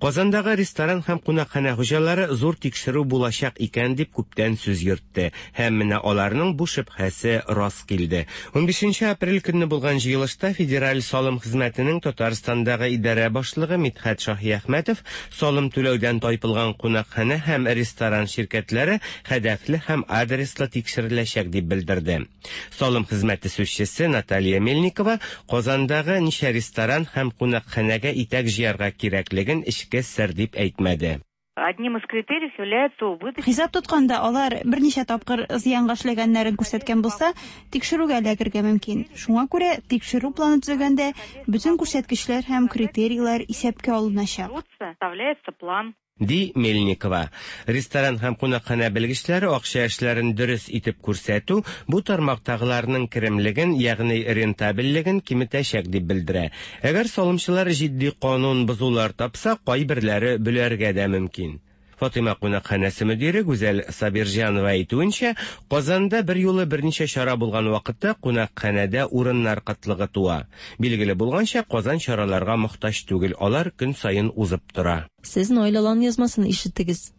Казандагы ресторан һәм кунакханә хуҗалары зур тикшерү булачак икән дип күптән сүз йөртте. Һәм менә аларның бу шөбһәсе рас килде. унбишенче апрель көнне булган җыелышта Федераль салым хезмәтенең Татарстандагы идарә башлыгы Мидхәт Шаһиәхмәтов салым түләүдән тайпылган кунакханә һәм ресторан ширкәтләре һәдәфле һәм адреслы тикшереләчәк дип белдерде. Салым хезмәте сүзчесе Наталья Мельникова Казандагы ничә ресторан һәм кунакханәгә итәк җыярга кирәклеген эчке сер дип әйтмәде. Одним из критериев является убыточность. Хисап тотканда алар берничә тапкыр зыянга эшләгәннәрен күрсәткән булса, тикшерүгә эләгергә мөмкин. Шуңа күрә тикшерү планы төзегәндә бөтен күрсәткечләр һәм критерийлар исәпкә алыначак. Составляется план. Ди Мельникова. Ресторан һәм кунакханә белгечләре акча эшләрен дөрес итеп күрсәтү бу тармактагыларның керемлеген, ягъни рентабельлеген киметәчәк дип белдерә. Әгәр салымчылар җитди канун бозулар тапса, кайберләре бөләргә дә мөмкин. Фатыйма кунакханәсе мөдире Гүзәл Сабирҗанова әйтүенчә, Казанда бер юлы берничә чара булган вакытта кунакханәдә урыннар кытлыгы туа. Билгеле булганча, Казан чараларга мохтаҗ түгел, алар көн саен узып тора. Сез Наил Алан язмасын ишеттегез.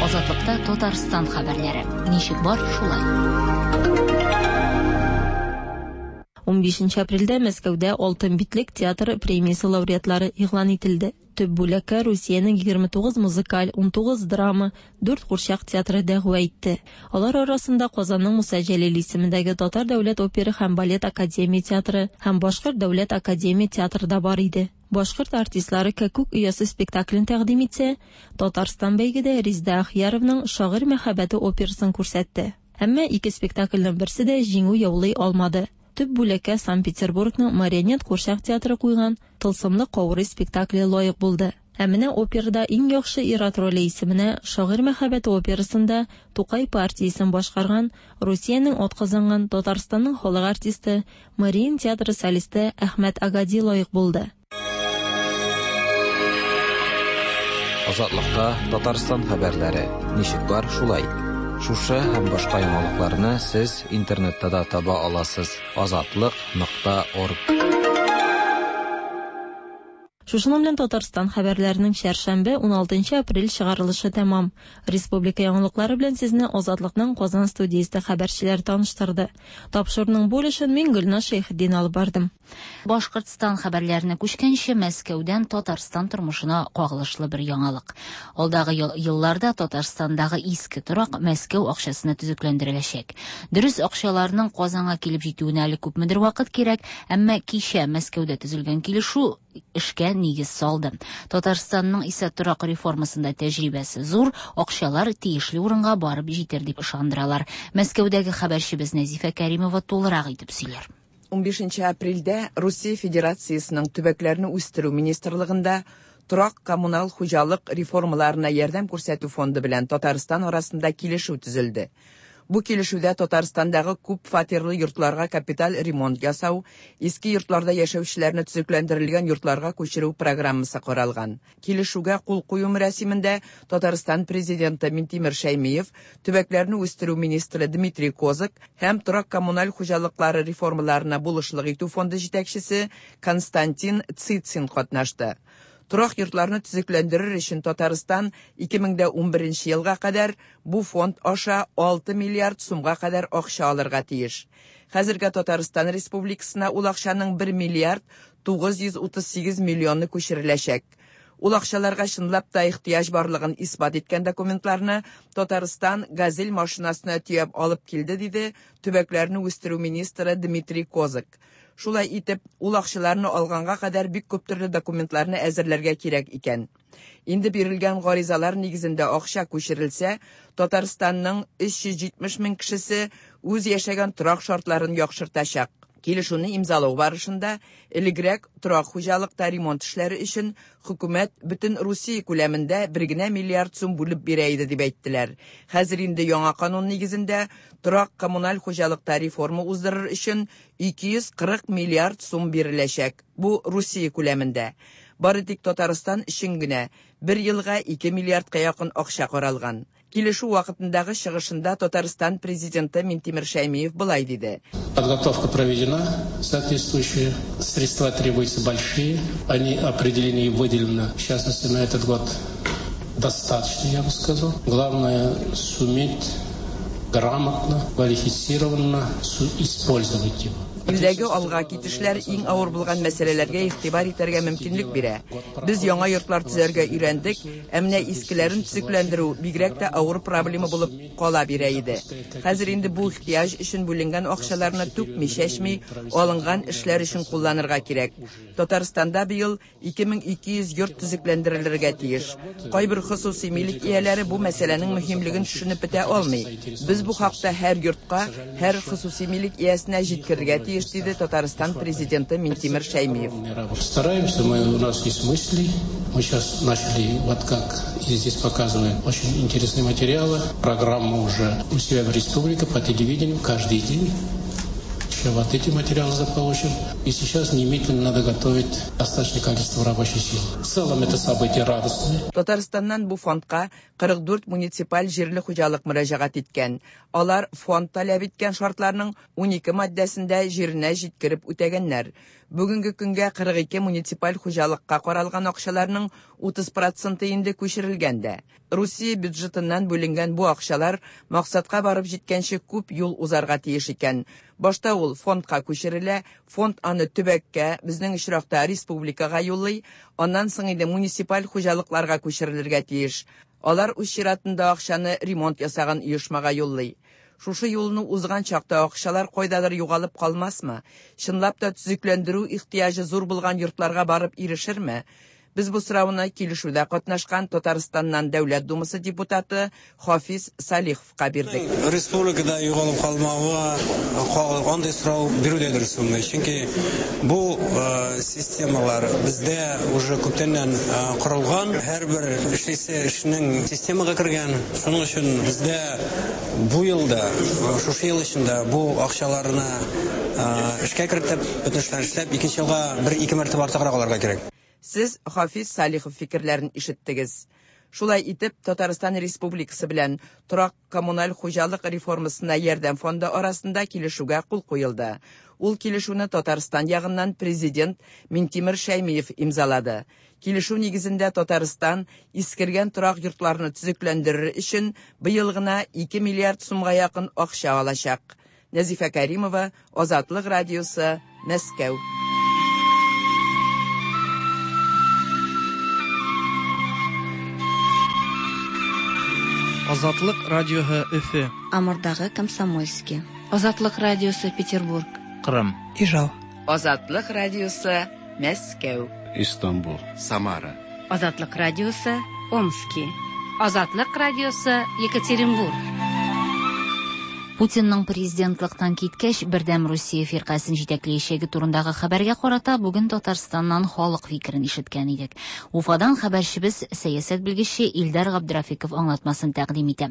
Азатлыкта Татарстан хәбәрләре. Ничек бар, шулай. унбишенче апрельдә Мәскәүдә Алтын битлек театр премиясе лауреатлары игълан ителде. Төп бүләккә Русиянең егерме тугыз музыкаль, унтугыз драма, дүрт курчак театры дәгъва итте. Алар арасында Казанның Муса Җәлил исемендәге Татар дәүләт опера һәм балет академия театры һәм Башкорт дәүләт академия театры да бар иде. Башкорт артистлары Кәкүк оясы спектаклен тәкъдим итсә, Татарстан бәйгедә Резда Ахияровның Шагыйрь мәхәббәте операсын күрсәтте. Әмма ике спектакльнең берсе дә җиңү яулый алмады. Төп бүләккә Санкт-Петербургның Марионет курчак театры куйган Тылсымлы каурый спектакле лаек булды. Ә менә операда иң яхшы ир-ат роле исеменә Шагыйрь мәхәббәте операсында Тукай партиясен башкарган Русиянең атказанган Татарстанның халык артисты, Мариин театры солисты Әхмәт Агади лаек булды. Азатлыкта Татарстан хәбәрләре ничек бар шулай. Шушы һәм башка яңалыкларны сез интернетта да таба аласыз. Азатлык нокта орг. Шушының белән Татарстан хәбәрләренең чәршәмбе уналтынчы апрель чыгарылышы тәмам. Республика яңалыклары белән сезне Азатлыкның Казан студиясендә хәбәрчеләр таныштырды. Тапшыруның бу өлешен мин Гөлназ Шәйхетдин алып бардым. Башкортстан хәбәрләренә күчкәнче Мәскәүдән Татарстан тормышына кагылышлы бер яңалык. Алдагы елларда Татарстандагы иске торак Мәскәү акчасына төзекләндереләчәк. Дөрес, акчаларның Казанга килеп җитүенә әле күпмедер вакыт кирәк, әмма кичә Мәскәүдә төзелгән килешү эшкә нигез салды. Татарстанның исә торак реформасында тәҗрибәсе зур, акчалар тиешле урынга барып җитер дип ышандыралар. Мәскәүдәге хәбәрчебез Нәзифә Кәримова тулырак итеп сөйләр. Унбишенче апрельдә Русия Федерациясының төбәкләрне үстерү министрлыгында торак коммуналь хуҗалык реформаларына ярдәм күрсәтү фонды белән Татарстан арасында килешү төзелде. Бу килешүдә Татарстандагы күп фатирлы йортларга капиталь ремонт ясау, иске йортларда яшәүчеләрне төзекләндерелгән йортларга күчерү программасы каралган. Килешүгә кул кую мәрасимендә Татарстан президенты Минтимер Шәймиев, төбәкләрне үстерү министры Дмитрий Козак һәм торак коммуналь хуҗалыклары реформаларына булышлык итү фонды җитәкчесе Константин Цицин катнашты. Торак йортларны төзекләндерер өчен Татарстан ике мең дә унберенче елга кадәр бу фонд аша алты миллиард сумга кадәр акча алырга тиеш. Хәзергә Татарстан Республикасына ул акчаның бер миллиард тугыз йөз утыз сигез миллионы күчереләчәк. Ул акчаларга чынлап та ихтыяҗ барлыгын исбат иткән документларны Татарстан «Газель» машинасына төяп алып килде, диде төбәкләрне үстерү министры Дмитрий Козак. Шулай итеп, ул акчаларны алганга кадәр бик күп төрле документларны әзерләргә кирәк икән. Инде бирелгән гаризалар нигезендә акча күчерелсә, Татарстанның өч йөз җитмеш мең кешесе үз яшәгән торак шартларын яхшыртачак. Килешүне имзалау барышында элегрәк торак хуҗалыкта ремонт эшләре өчен хөкүмәт бөтен Русия күләмендә бер генә миллиард сум бүлеп бирә иде дип әйттеләр. Хәзер инде яңа канун нигезендә торак коммуналь хуҗалыкта реформа уздырыр өчен ике йөз кырык миллиард сум биреләчәк. Бу Русия күләмендә. Бары тик Татарстан өчен генә бер елга ике миллиардка якын акча каралган. Килешү вакытындагы чыгышында Татарстан президенты Минтимер Шәймиев былай диде. Подготовка проведена, соответствующие средства требуются большие, они определены и выделены, в частности, на этот год достаточно, я бы сказал. Главное суметь грамотно, квалифицированно использовать его. Илдәге алга китешләр иң авыр булган мәсьәләләргә игътибар итәргә мөмкинлек бирә. Без яңа йортлар төзәргә өйрәндек, ә менә искеләрен төзекләндерү бигрәк тә авыр проблема булып кала бирә иде. Хәзер инде бу ихтыяҗ өчен бүленгән акчаларны түкми-чәчми алынган эшләр өчен кулланырга кирәк. Татарстанда быел ике мең ике йөз йорт төзекләндерелергә тиеш. Кайбер хосуси милек ияләре бу мәсьәләнең мөһимлеген төшенеп бетә алмый. Без бу хакта һәр йортка, һәр хосуси милек иясенә җиткерергә тиеш, диде Татарстан президенты Минтимер Шәймиев. Стараемся, мы, у нас есть мысли. Мы сейчас начали, вот как здесь показываем, очень интересные материалы. Программа уже у себя в республике по телевидению каждый день. Еще вот эти материалы заполучим. И сейчас немедленно надо готовить достаточное количество рабочей силы. В целом это событие радостное. Татарстаннан бу фондка кырык дүрт муниципаль җирле хуҗалык мөрәҗәгать иткән. Алар фонд таләп иткән шартларның унике маддәсендә җиренә җиткереп үтәгәннәр. Бүгенге көнгә кырык ике муниципаль хуҗалыкка каралган акчаларның утыз проценты инде күчерелгән дә. Русия бюджетыннан бүленгән бу акчалар максатка барып җиткәнче күп юл узарга тиеш икән. Башта ул фондка күчерелә, фонд аны төбәккә, безнең очракта республикага юллый, аннан соң инде муниципаль хуҗалыкларга күчерелергә тиеш. Алар үз чиратында акчаны ремонт ясаган оешмага юллый. Шушы юлны узган чакта акчалар кайдадыр югалып калмасмы? Чынлап та төзекләндерү ихтыяҗы зур булган йортларга барып ирешерме? Без бу сорауны килешүдә катнашкан Татарстаннан Дәүләт Думасы депутаты Хафиз Салиховка бирдек. Республикада югалып калмавы андый сорау бирү дә дөрес булмый. Чөнки бу системалар бездә уже күптәннән корылган, һәрбер эшлисе эшнең системага кергән. Шуның өчен бездә бу елда, шушы ел эчендә бу акчаларны эшкә кертеп, бөтен эшләрне эшләп, икенче елга бер-ике мәртәбә артыграк алырга кирәк. Сез Хафиз Салихов фикерләрен ишеттегез. Шулай итеп, Татарстан Республикасы белән торак коммуналь хуҗалык реформасына ярдәм фонды арасында килешүгә кул куелды. Ул килешүне Татарстан ягыннан президент Минтимер Шәймиев имзалады. Килешү нигезендә Татарстан искергән торак йортларны төзекләндерер өчен быел гына ике миллиард сумга якын акча алачак. Нәзифә Каримова, Азатлык радиосы, Мәскәү. Азатлык радиоһы Өфе. Амурдагы Комсомольский. Азатлык радиосы Петербург. Кырым. Ижау. Азатлык радиосы Мәскәү. Истанбул. Самара. Азатлык радиосы Омски. Азатлык радиосы Екатеринбург. Путинның президентлыктан киткәч, Бердәм Русия фиркасен җитәкләячәге турындагы хәбәргә карата бүген Татарстаннан халык фикерен ишеткән идек. Уфадан хәбәрчебез сәясәт белгече Илдар Габдрафиков аңлатмасын тәкъдим итә.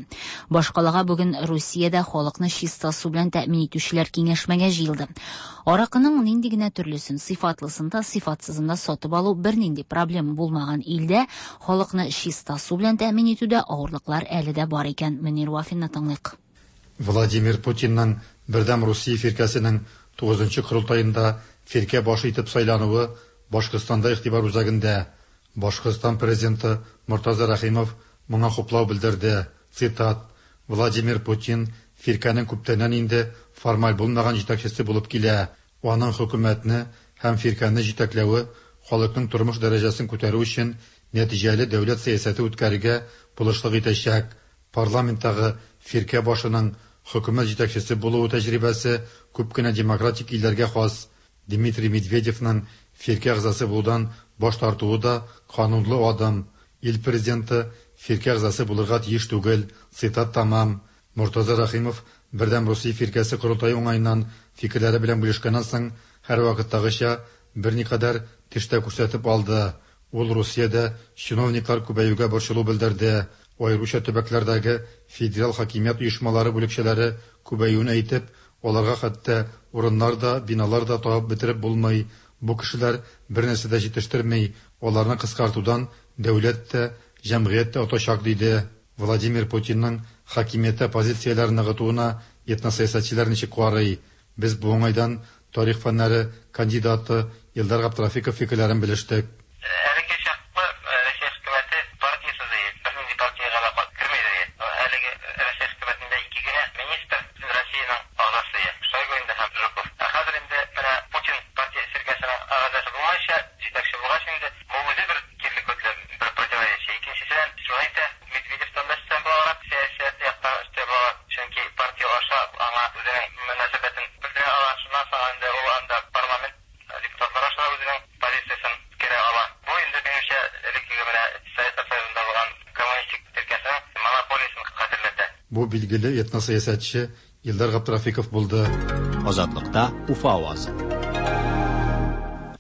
Башкалага бүген Русиядә халыкны чиста су белән тәэмин итүчеләр киңәшмәгә җыелды. Аракының нинди генә төрлесен, сыйфатлысын да, сыйфатсызын да сатып алу бернинди проблема булмаган илдә халыкны чиста су белән тәэмин итүдә авырлыклар әле дә бар икән. Мөнир Вафинны тыңлыйк. Владимир Путинның Бердәм Русия фиркәсенең тугызынчы корылтаенда фиркә башы итеп сайлануы Башкортстанда игътибар үзәгендә. Башкортстан президенты Мортаза Рәхимов моңа хуплау белдерде. Цитат: Владимир Путин фиркәнең күптәннән инде формаль булмаган җитәкчесе булып килә. Аның хөкүмәтне һәм фиркәне җитәкләве халыкның тормыш дәрәҗәсен күтәрү өчен нәтиҗәле дәүләт сәясәте үткәрергә булышлык итәчәк. Парламенттагы фиркә башының хөкүмәт җитәкчесе булуы тәҗрибәсе күп кенә демократик илләргә хас. Дмитрий Медведевның фиркә әгъзасы булудан баш тартуы да канунлы адым. Ил президенты фиркә әгъзасы булырга тиеш түгел. Цитат тамам. Мортаза Рәхимов Бердәм Русия фиркәсе корылтае уңаеннан фикерләре белән бүлешкәннән соң һәрвакыттагыча берникадәр теш тә күрсәтеп алды. Ул Русиядә чиновниклар күбәюгә борчылу белдерде. Аеруча төбәкләрдәге федераль хакимият оешмалары бүлекчәләре күбәюен әйтеп, аларга хәтта урыннар да, биналар да табып бетереп булмый. Бу кешеләр бер нәрсә дә җитештерми, аларны кыскартудан дәүләт тә, җәмгыять тә отачак, диде. Владимир Путинның хакимияттә позицияләрен ныгытуына этносәясәтчеләр ничек карый? Без бу уңайдан тарих фәннәре кандидаты Илдар Габдрафиков фикерләрен белештек. Бу билгеле этносәясәтче Илдар Габдрафиков булды. Азатлыкта Уфа авазы.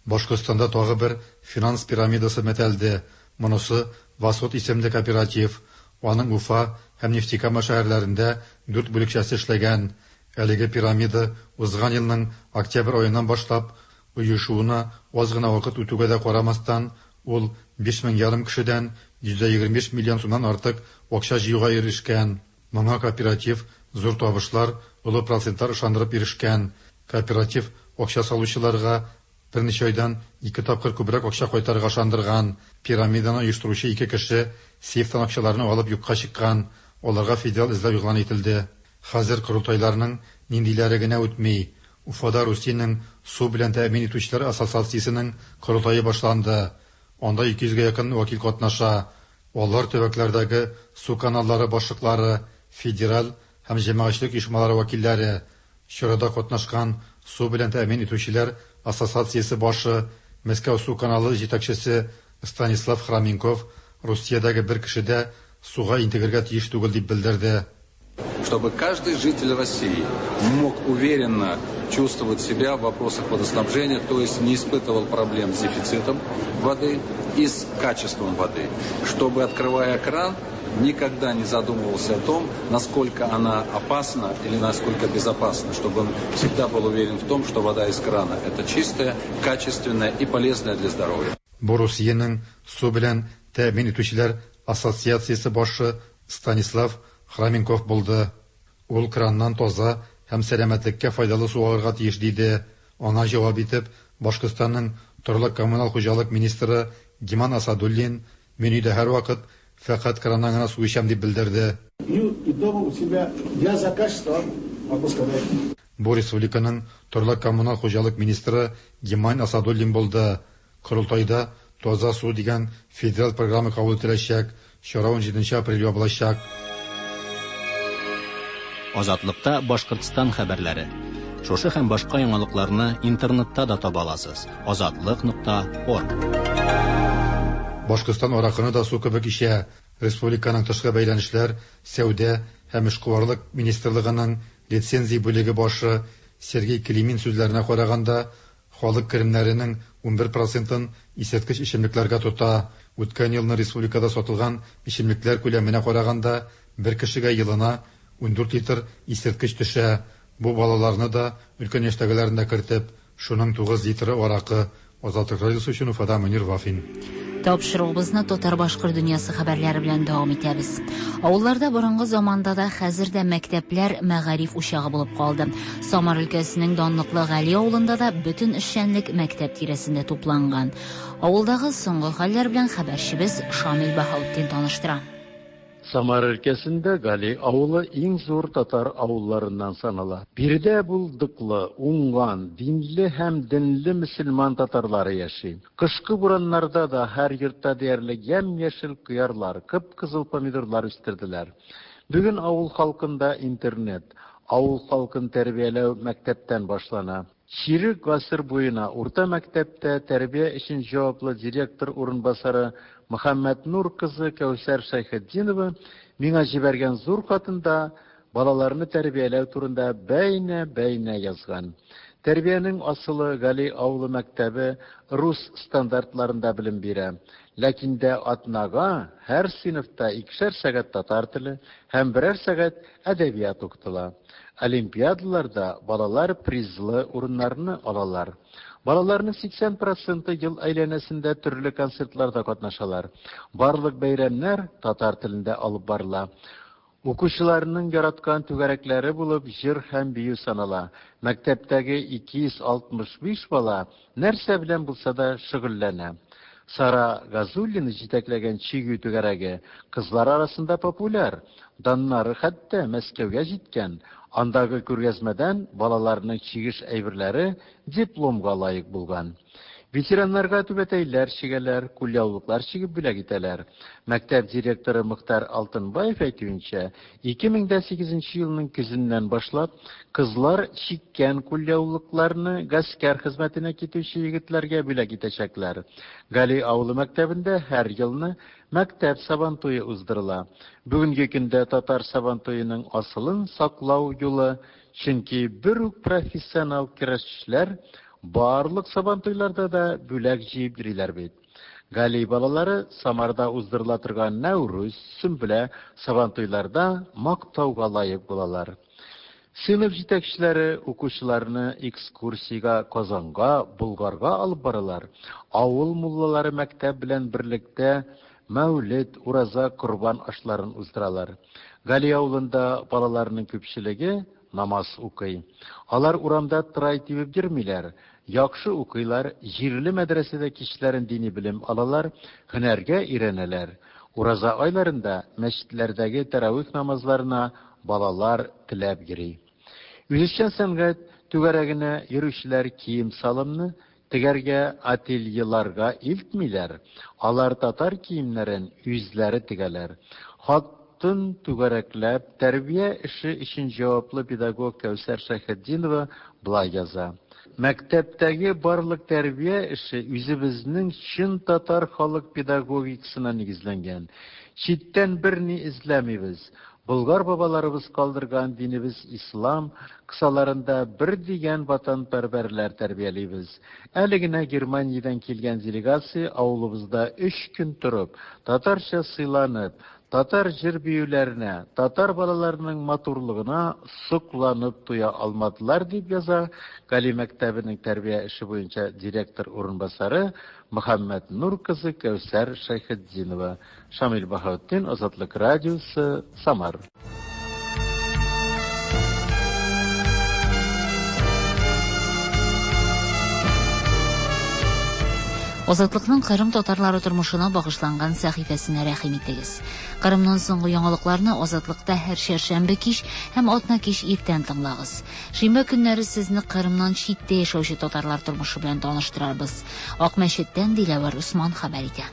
Башкортстанда тагы бер финанс пирамидасы мәтәлде. Монысы Восход исемле кооператив. Аның Уфа һәм Нефтекама шәһәрләрендә дүрт бүлекчәсе эшләгән. Әлеге пирамида узган елның октябрь аеннан башлап оешуына аз гына вакыт үтүгә дә карамастан, ул биш мең ярым кешедән йөз егерме биш миллион сумнан артык акча җыюга ирешкән. Моңа кооператив зур табышлар, олы процентлар ышандырып ирешкән. Кооператив акча салучыларга берничә айдан ике тапкыр күбрәк акча кайтарырга ышандырган. Пирамиданы оештыручы ике кеше сейфтан акчаларны алып юкка чыккан. Аларга федераль эзләү игълан ителде. Хәзер корылтайларның ниндиләре генә үтми. Уфада Русиянең су белән тәэмин итүчеләр ассоциациясенең корылтае башланды. Анда ике йөзгә якын вәкил катнаша. Алар төбәкләрдәге су каналлары башлыклары, федераль һәм җәмәгатьчелек оешмалары вәкилләре. Чарада катнашкан су белән тәэмин итүчеләр ассоциациясе башы, Мәскәү су каналы җитәкчесе Станислав Храменков Русиядәге бер кеше дә суга интегергә тиеш түгел дип белдерде. Чтобы каждый житель России мог уверенно чувствовать себя в вопросах водоснабжения, то есть не испытывал проблем с дефицитом воды и с качеством воды. Чтобы, открывая кран, никогда не задумывался о том, насколько она опасна или насколько безопасна, чтобы он всегда был уверен в том, что вода из крана – это чистая, качественная и полезная для здоровья. Бу Русиянең су белән тәэмин итүчеләр ассоциациясе башы Станислав Храменков булды. Ул краннан таза һәм сәламәтлеккә файдалы су алырга тиеш диде. Аңа җавап итеп, Башкортстанның торак-коммуналь хуҗалык министры Гиман Асадуллин мин өйдә һәрвакыт фәкать краннан гына су эчәм дип белдерде. Пью и дома у себя. Я за качество могу сказать. Бу республиканың торак-коммуналь хуҗалык министры Гиман Асадуллин булды. Корылтайда таза су дигән федераль программа кабул ителәчәк. Чара унҗиденче апрель ябылачак. Азатлыкта Башкортстан хәбәрләре. Шушы һәм башка яңалыкларны интернетта да таба аласыз. Азатлык нокта орг. Башкортстан аракыны да су кебек эчә. Республиканың тышкы бәйләнешләр, сәүдә һәм эшкуарлык министрлыгының лицензия бүлеге башы Сергей Климин сүзләренә караганда, халык керемнәренең унбер процентын исерткеч эчемлекләргә тота. Үткән елны республикада сатылган эчемлекләр күләменә караганда, бер кешегә елына ундүрт литр исерткеч төшә. Бу балаларны да, өлкән яшьтәгеләрен дә кертеп, шуның тугыз литры аракы. Азатлык радиосы өчен Уфада Мөнир Вафин. Тапшыруыбызны татар-башкорт дөньясы хәбәрләре белән дәвам итәбез. Авылларда борынгы заманда да, хәзер дә мәктәпләр мәгариф учагы булып калды. Самар өлкәсенең данлыклы Гали авылында да бөтен эшчәнлек мәктәп тирәсендә тупланган. Авылдагы соңгы хәлләр белән хәбәрчебез Шамил Баһаутдин таныштыра. Самар өлкәсендә Гали авылы иң зур татар авылларыннан санала. Биредә булдыклы, уңган, динле һәм денле мөселман татарлары яши. Кышкы бураннарда да һәр йортта диярлек ямь-яшел кыярлар, кып-кызыл помидорлар үстерделәр. Бүген авыл халкында интернет, авыл халкын тәрбияләү мәктәптән башлана. Чирек гасыр буена урта мәктәптә тәрбия өчен җаваплы директор урынбасары Мөхәммәтнур кызы Кәүсәр Шәйхетдинова миңа җибәргән зур хатында балаларны тәрбияләү турында бәйнә-бәйнә язган. Тәрбиянең асылы Гали авылы мәктәбе рус стандартларында белем бирә. Ләкин дә атнага һәр сыйныфта икешәр сәгать татар теле һәм берәр сәгать әдәбият укытыла. Олимпиадаларда балалар призлы урыннарны алалар. Балаларның сиксән проценты ел әйләнәсендә төрле концертларда катнашалар. Барлык бәйрәмнәр татар телендә алып барыла. Укучыларның яраткан түгәрәкләре булып җыр һәм бию санала. Мәктәптәге ике йөз алтмыш биш бала нәрсә белән булса да шөгыльләнә. Сара Газуллина җитәкләгән чигү түгәрәге кызлар арасында популяр. Даннары хәтта Мәскәүгә җиткән. Андагы күргәзмәдән балаларның чигеш әйберләре дипломга лаек булган. Ветераннарга түбәтәйләр чигәләр, кулъяулыклар чигеп бүләк итәләр. Мәктәп директоры Мөхтәр Алтынбаев әйтүенчә, ике мең дә сигезенче елның көзеннән башлап кызлар чиккән кулъяулыкларны гаскәр хезмәтенә китүче егетләргә бүләк итәчәкләр. Гали авылы мәктәбендә һәр елны мәктәп сабантуе уздырыла. Бүгенге көндә татар сабантуеның асылын саклау юлы, чөнки бер үк профессионал көрәшчеләр барлык сабантуйларда да бүләк җыеп йөриләр бит. Гали балалары Самарда уздырыла торган Нәүрүз, Сөмбелә сабантуйларда мактауга лаек булалар. Сыйныф җитәкчеләре укучыларны экскурсиягә Казанга, Болгарга алып баралар. Авыл муллалары мәктәп белән берлектә Мәүлид, Ураза, Корбан ашларын уздыралар. Гали авылында балаларның күпчелеге намаз укый. Алар урамда трай тибеп йөрмиләр, яхшы укыйлар, җирле мәдрәсәдә кичләрен дини белем алалар, һөнәргә өйрәнәләр. Ураза айларында мәчетләрдәге тәравих намазларына балалар теләп йөри. Үзешчән сәнгать түгәрәгенә йөрүчеләр кием-салымны тегәргә ательеларга илтмиләр. Алар татар киемнәрен үзләре тегәләр. Хатын түгәрәкләп тәрбия эше өчен җаваплы педагог Кәүсәр Шәйхетдинова болай яза. Мәктәптәге барлык тәрбия эше үзебезнең чын татар халык педагогикасына нигезләнгән. Читтән берни эзләмибез. Болгар бабаларыбыз калдырган динебез ислам кысаларында бер дигән ватанпәрвәрләр тәрбиялибез. Әле генә Германиядән килгән делегация авылыбызда өч көн торып, татарча сыйланып, татар җыр-биюләренә, татар балаларының матурлыгына сокланып туя алмадылар, дип яза Гали мәктәбенең тәрбия эше буенча директор урынбасары Мөхәммәт Нур кызы Кәүсәр Шәйхетдинова. Шамил Баһаутдин, Азатлык радиосы, Самар. Азатлыкның Кырым татарлары тормышына багышланган сәхифәсенә рәхим итегез. Кырымнан соңгы яңалыкларны Азатлыкта һәр чәршәмбе кич һәм атна кич иртән тыңлагыз. Шимбә көннәре сезне Кырымнан читтә яшәүче татарлар тормышы белән таныштырарбыз. Акмәчеттән Диләвәр Усман хәбәр итә.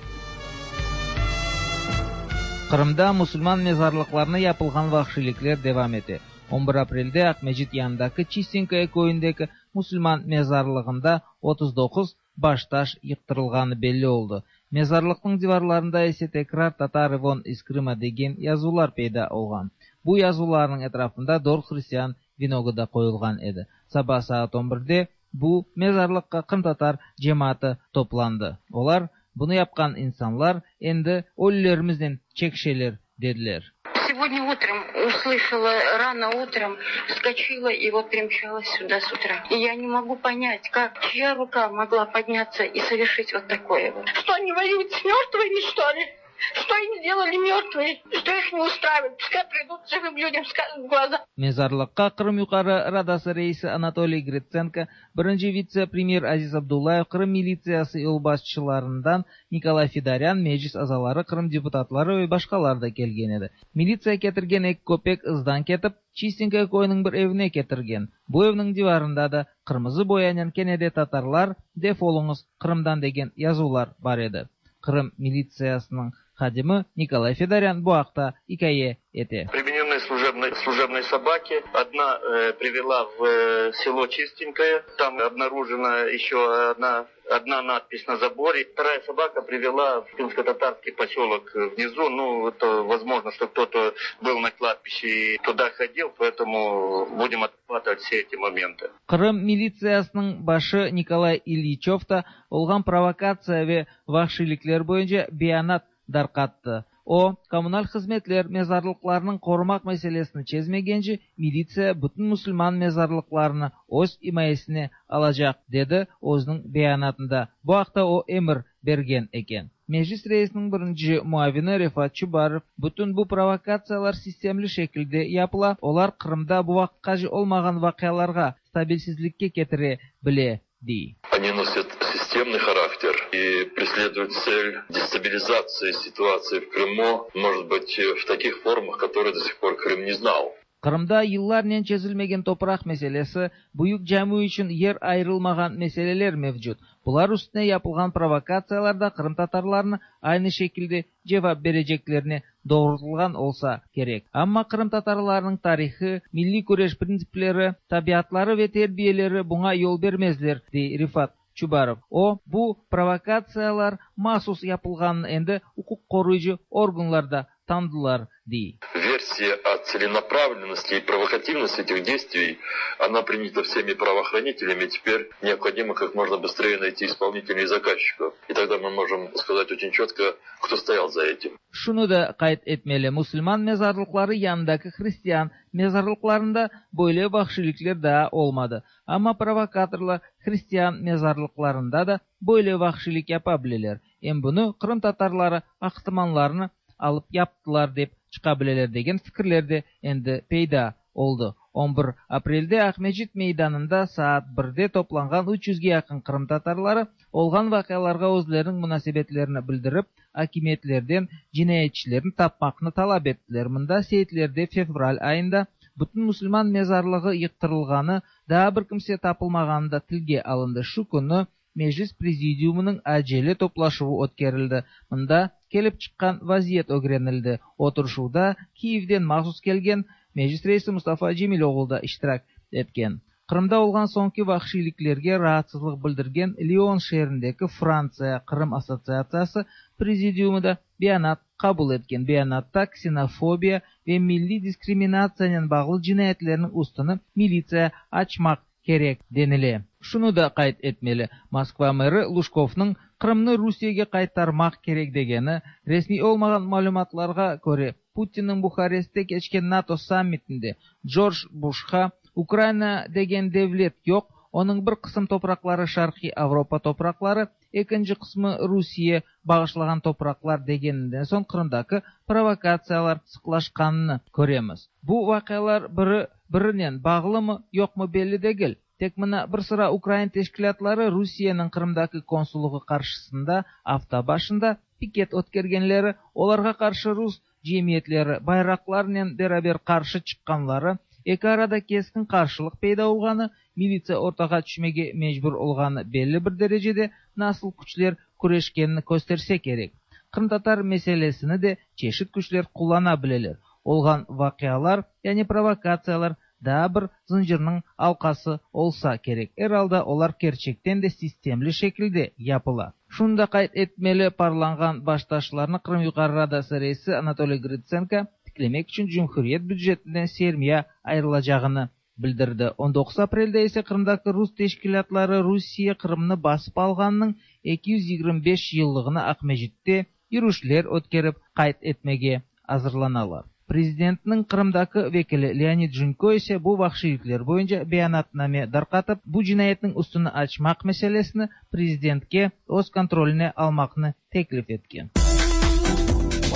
Кырымда мусульман мезарлыкларына yapılgan vahşilikler devam ete. on bir aprelde Akmecit yanındaki Çistinkaya köyündeki Müslüman mezarlığında otuz dokuz baştaş yıktırılganı belli oldu. Mezarlıkның divarlarında ise tekrar Tatar Ivon из Крыма деген yazılar peyda olgan. Bu yazıların etrafında dört Hristiyan vinogu da koyulgan edi. Sabah saat on birde bu mezarlıkka Kırım Tatar cemaati toplandı. Olar bunu yapkan insanlar endi ölülerimizden çekşeler dediler. Сегодня утром услышала, рано утром вскочила и вот примчалась сюда с утра. И я не могу понять, как, чья рука могла подняться и совершить вот такое вот. Что они воюют с мертвыми, что ли? Что им сделали мертвые? Что их не устраивает? Пускай придут живым людям, скажут в глаза. Mezarlıkka Kırım Yukarı Radası reisi Anatoliy Gritsenko, birinci vitse-premyer Aziz Abdullayev, Kırım militsiyası yolbaşçılarından Nikolay Fidaryan, meclis azaları, Kırım deputatları ve başkaları da kelgen edi. Militsiya ketirgen eki köpek ızdan ketip, Çistinkaya köyünün bir evine ketirgen. Bu evinin divarında da kırmızı boyanen kene de Tatarlar, defolunuz Kırımdan degen yazılar bar edi. Kırım militsiyasının hadimi Николай Федорян bu haqta hikaye ete. Примененные служебные, служебные собаки. Одна э, привела в э, село Чистенькое. Там обнаружена еще одна, одна надпись на заборе. Вторая собака привела в крымско-татарский поселок внизу. Ну, это возможно, что кто-то был на кладбище и туда ходил, поэтому будем отрабатывать все эти моменты. Кырым милициясының башы Николай Ильичев та olgan провокация ve vahşilikler boyunca beyanat darqattı. O, kommunal hizmetler mezarlıklarının korumak meselesini çezmegence militsiya bütün musulman mezarlıklarını öz himayesine alacak dedi özünün beyanatında. Bu haqta o emir bergen eken. Meclis reisinin birinci muavini Refat Çubarov, bütün bu provokatsiyalar sistemli şekilde yapıla, olar Kırımda bu vaqtqaca olmağan vaqialarga, stabilsizlikke ketire bile, dey. Они носят системный характер и преследуют цель дестабилизации ситуации в Крыму, может быть, в таких формах, которые до сих пор Крым не знал. Kırımda yıllarnen çezilmegen topraq meselesi, büyük cami içün yer ayrılmağan meseleler mevcut. Bular üstüne yapılğan provokatsiyalarda Kırım tatarlarını aynı şekilde cevap bereceklerine doğrultulğan olsa kerek. Amma Kırım tatarlarının tarihi, milli küreş prinsipleri, tabiatları ve terbiyeleri buna yol bermezler, dey Rifat Çubarov. O, bu provokatsiyalar mahsus yapılğanını endi hukuk koruyucu organlarda tanıdılar, dey. Версия о целенаправленности и провокативности этих действий, она принята всеми правоохранителями. Теперь необходимо как можно быстрее найти исполнителей и заказчиков. И тогда мы можем сказать очень четко, кто стоял за этим. Şunu da qayd etmeli, Müslüman mezarlıkları yanındaki Hristiyan mezarlıklarında böyle vahşilikler daha olmadı. Ama provokatorlar Hristiyan mezarlıklarında da böyle vahşilik yapabilirler. Hem bunu Kırım Tatarları aqtımanlarını alıp yaptılar dep çıqabileler degen fikirler de endi peyda oldu. on bir aprelde Akmecit meydanında saat birde toplanğan üç yüzge yaqın Kırım Tatarları olğan vaqialarğa özleriniñ munasebetlerini bildirip, akimiyetlerden cinayetçilerini tapmaqnı talap ettiler. Mında seyitlerde fevral ayında bütün musulman mezarlığı yıqtırılğanı, daa bir kimse tapılmağanı da tilge alındı. Şu künü Meclis Prezidiumınıñ acele toplaşuvı ötkerildi. Mında kelip çıqqan vaziyet ögrenildi. Oturışuvda Kiyevden mahsus kelgen Meclis reisi Mustafa Cemiloğlu da iştirak etken. Qırımda olğan soñki vahşiyliklerge raatsızlıq bildirgen Lion şeerindeki Frantsiya Qırım assotsiatsiyası prezidiumı da beyanat qabul etken. Beyanatta ksenofobiya ve milliy diskriminatsiyanen bağlı cinayetlerniñ üstüni militsiya açmaq kerek denile. Şunı da qayd etmeli, Moskva meri Lujkovnıñ Qırımnı Rusiyege qaytarmaq kerek degeni, resmiy olmağan malümatlarğa köre, Putinniñ Buharestte keçken NATO sammitinde Corc Buşqa Ukraina degen devlet yoq, onıñ bir qısım topraqları Şarqiy Avropa topraqları, ekinci qısmı Rusiye bağışlağan topraqlar degeninden soñ Qırımdaki provokatsiyalar sıqlaşqanını köremiz. Bu vaqialar biri birinen bağlımı, yoqmı belli degil. Tek mına bir sıra ukrain teşkilâtları Rusiyeniñ Qırımdaki konsullığı qarşısında afta başında piket ötkergenleri, olarğa qarşı rus cemiyetleri bayraqlarnen beraber qarşı çıqqanları, eki arada keskin qarşılıq peyda olğanı, militsiya ortağa tüşmege mecbur olğanı belli bir derecede nasıl küçler küreşkenini kösterse kerek. Qırımtatar meselesini de çeşit küçler qullana bileler. Olğan vaqialar, yani provokatsiyalar daa bir zıncırnıñ alqası olsa kerek. Er alda olar kerçekten de sistemli şekilde yapıla. Şunı da qayd etmeli, parlanğan baştaşlarnı Qırım Yuqarı Radası reisi Anatoliy Grıtsenko tiklemek içün cumhuriyet bücetinden sermiya ayırılacağını bildirdi. On doquz aprelde ise Qırımdaki rus teşkilâtları Rusiye Qırımnı basıp alğanınıñ eki yüz yigirmi beş yıllığını Aqmescitte yürüşler ötkerip qayd etmege azırlanalar. Prezidentniñ Qırımdaki vekili Leonid Junko ise bu vahşiylikler boyunca beyanatname darqatıp, bu cinayetniñ üstüni açmaq meselesini prezidentke öz kontroline almaqnı teklif etken.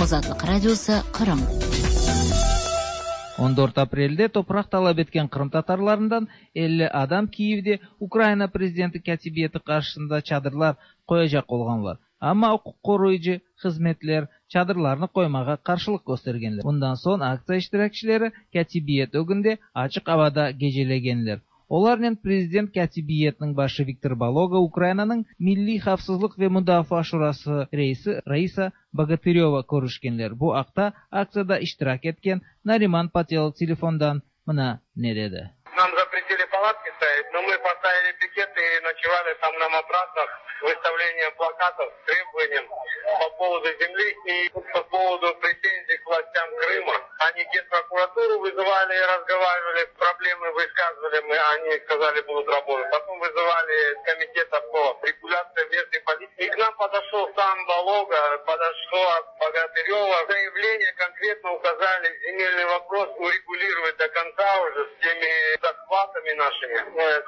Azatlıq Radiosı, Qırım. On dört aprelde topraq talap etken qırımtatarlarından elli adam Kiyevde Ukraina prezidenti kâtibiyeti qarşısında çadırlar qoyacaq olğanlar. Amma uquq qoruyıcı hızmetler çadırlarnı qoymağa qarşılıq köstergenler. Bundan soñ aktsiya iştirakçileri kâtibiyet ögünde açıq avada gecelegenler. Olarnen prezident kâtibiyetiniñ başı Viktor Baloga, Ukrainanıñ Milliy havfsızlıq ve mudafaa şurası reisi Raisa Bogatıreva körüşkenler. Bu aqta aktsiyada iştirak etken Nariman Patelov telefondan mına ne dedi. Нам запретили палатки ставить, но мы поставили пикеты и ночевали там на матрасах с выставлением плакатов с требованием по поводу земли и по поводу претензий к властям Крыма. Они генпрокуратуру вызывали, разговаривали, проблемы высказывали, мы, они сказали, будут работать. Потом вызывали комитета по регуляции местной политики. И к нам подошел сам Балога, подошла Богатырева. Заявление конкретно указали земельный вопрос урегулировать до конца уже с теми захватами нашими.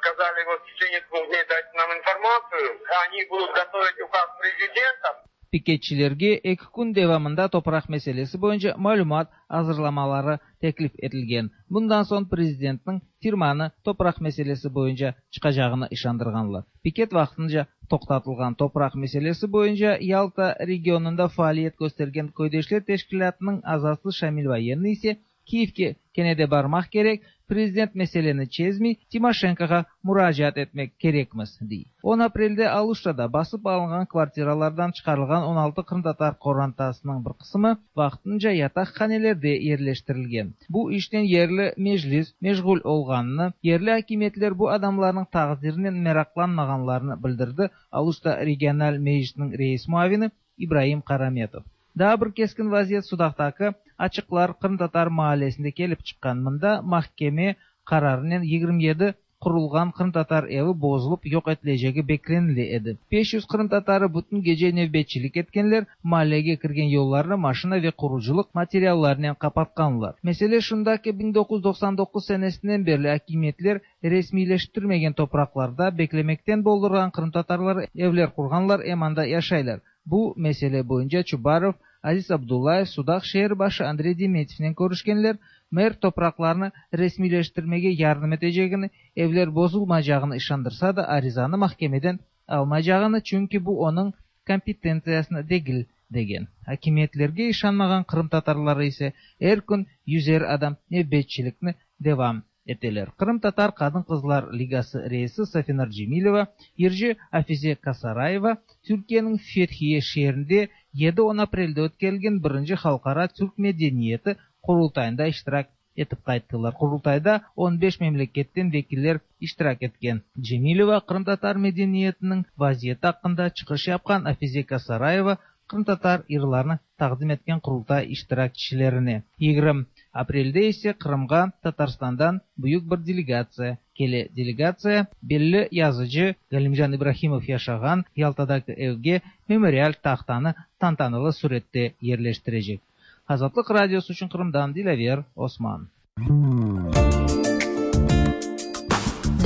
Сказали, вот в течение двух дней дать нам информацию, они будут готовить указ президента. Piketçilerge eki kün devamında topraq meselesi boyunca malümat azırlamaları teklif etilgen. Bundan soñ prezidentniñ firmanı topraq meselesi boyunca çıqacağını işandırğanlar. Piket vaqtınca toqtatılğan topraq meselesi boyunca Yalta regionında faaliyet köstergen Köydeşler teşkilâtınıñ azası Şamil Voyennıy ise Kiyevge kene de barmaq kerek, prezident meseleni çezmey, Timoşenkoğa muracaat etmek kerekmiz, dey. On aprelde Aluştada basıp alınğan kvartiralardan çıqarılğan on altı qırımtatar qorantasınıñ bir qısımı vaqtınca yataqhanelerde yerleştirilgen. Bu işten yerli meclis meşğul olğanını, yerli akimiyetler bu adamlarnıñ taqdirinen meraqlanmağanlarını bildirdi Aluşta regional meclisiniñ reis muavini İbraim Karametov. Daa bir keskin vaziyet Sudaqtaki Açıqlar qırımtatar mahallesinde kelip çıqqan. Mında mahkeme qararınen yigirmi yedi qurulğan qırımtatar evi bozulıp yoq etilecegi beklenile edi. beş yüz qırımtatarı bütün gece nevbetçilik etkenler, mahallege kirgen yollarnı maşina ve qurucılıq materiallarınen qapatqanlar. Mesele şunda ki, biñ doquz yüz doqsan doquz senesinden berli akimiyetler resmiyleştirmegen topraqlarda beklemekten boldurğan qırımtatarlar evler qurğanlar, em anda yaşaylar. Bu mesele boyunca Çubarov, Aziz Abdullayev, Sudaq şeer başı Andrey Demetyevnen körüşkenler, mer topraqlarnı resmiyleştirmege yardım etecegini, evler bozulmaycağını işandırsa da arizanı mahkemeden almaycağını, çünki bu onıñ kompetentsiyasına degil degen. Akimiyetlerge işanmağan qırımtatarları ise er kün yüzer adam nevbetçilikni devam eteler. Qırımtatar qadın-qızlar ligası reisi Safinar Cemileva, yırcı Afize Kasarayeva Türkiyeniñ Fethiye şeerinde yedi on aprelde ötkerilgen birinci halqara türk medeniyeti qurultayında iştirak etip qayttılar. Qurultayda on beş memleketten vekiller iştirak etken. Cemileva qırımtatar medeniyetiniñ vaziyeti aqqında çıqış yapqan Afize Kasarayeva qırımtatar yırlarını taqdim etken Qurultay iştirakçilerine. Yigirmi aprelde ise Qırımğa Tatarstandan büyük bir delegatsiya kele. Delegatsiya belli yazıcı Galimcan İbrahimov yaşağan Yaltadaki evge memorial tahtanı tantanalı surette yerleştirecek. Azatlıq Radiosı içün Qırımdan Dilâver Osman.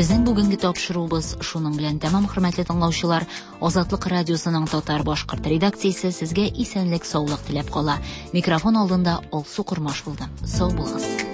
Безнең бүгенге тапшыруыбыз шуның белән тәмам, хөрмәтле тыңлаучылар. Азатлык радиосының татар башкорт редакциясе сезгә исәнлек, саулык теләп кала. Микрофон алдында Алсу Кормаш булды. Сау булыгыз.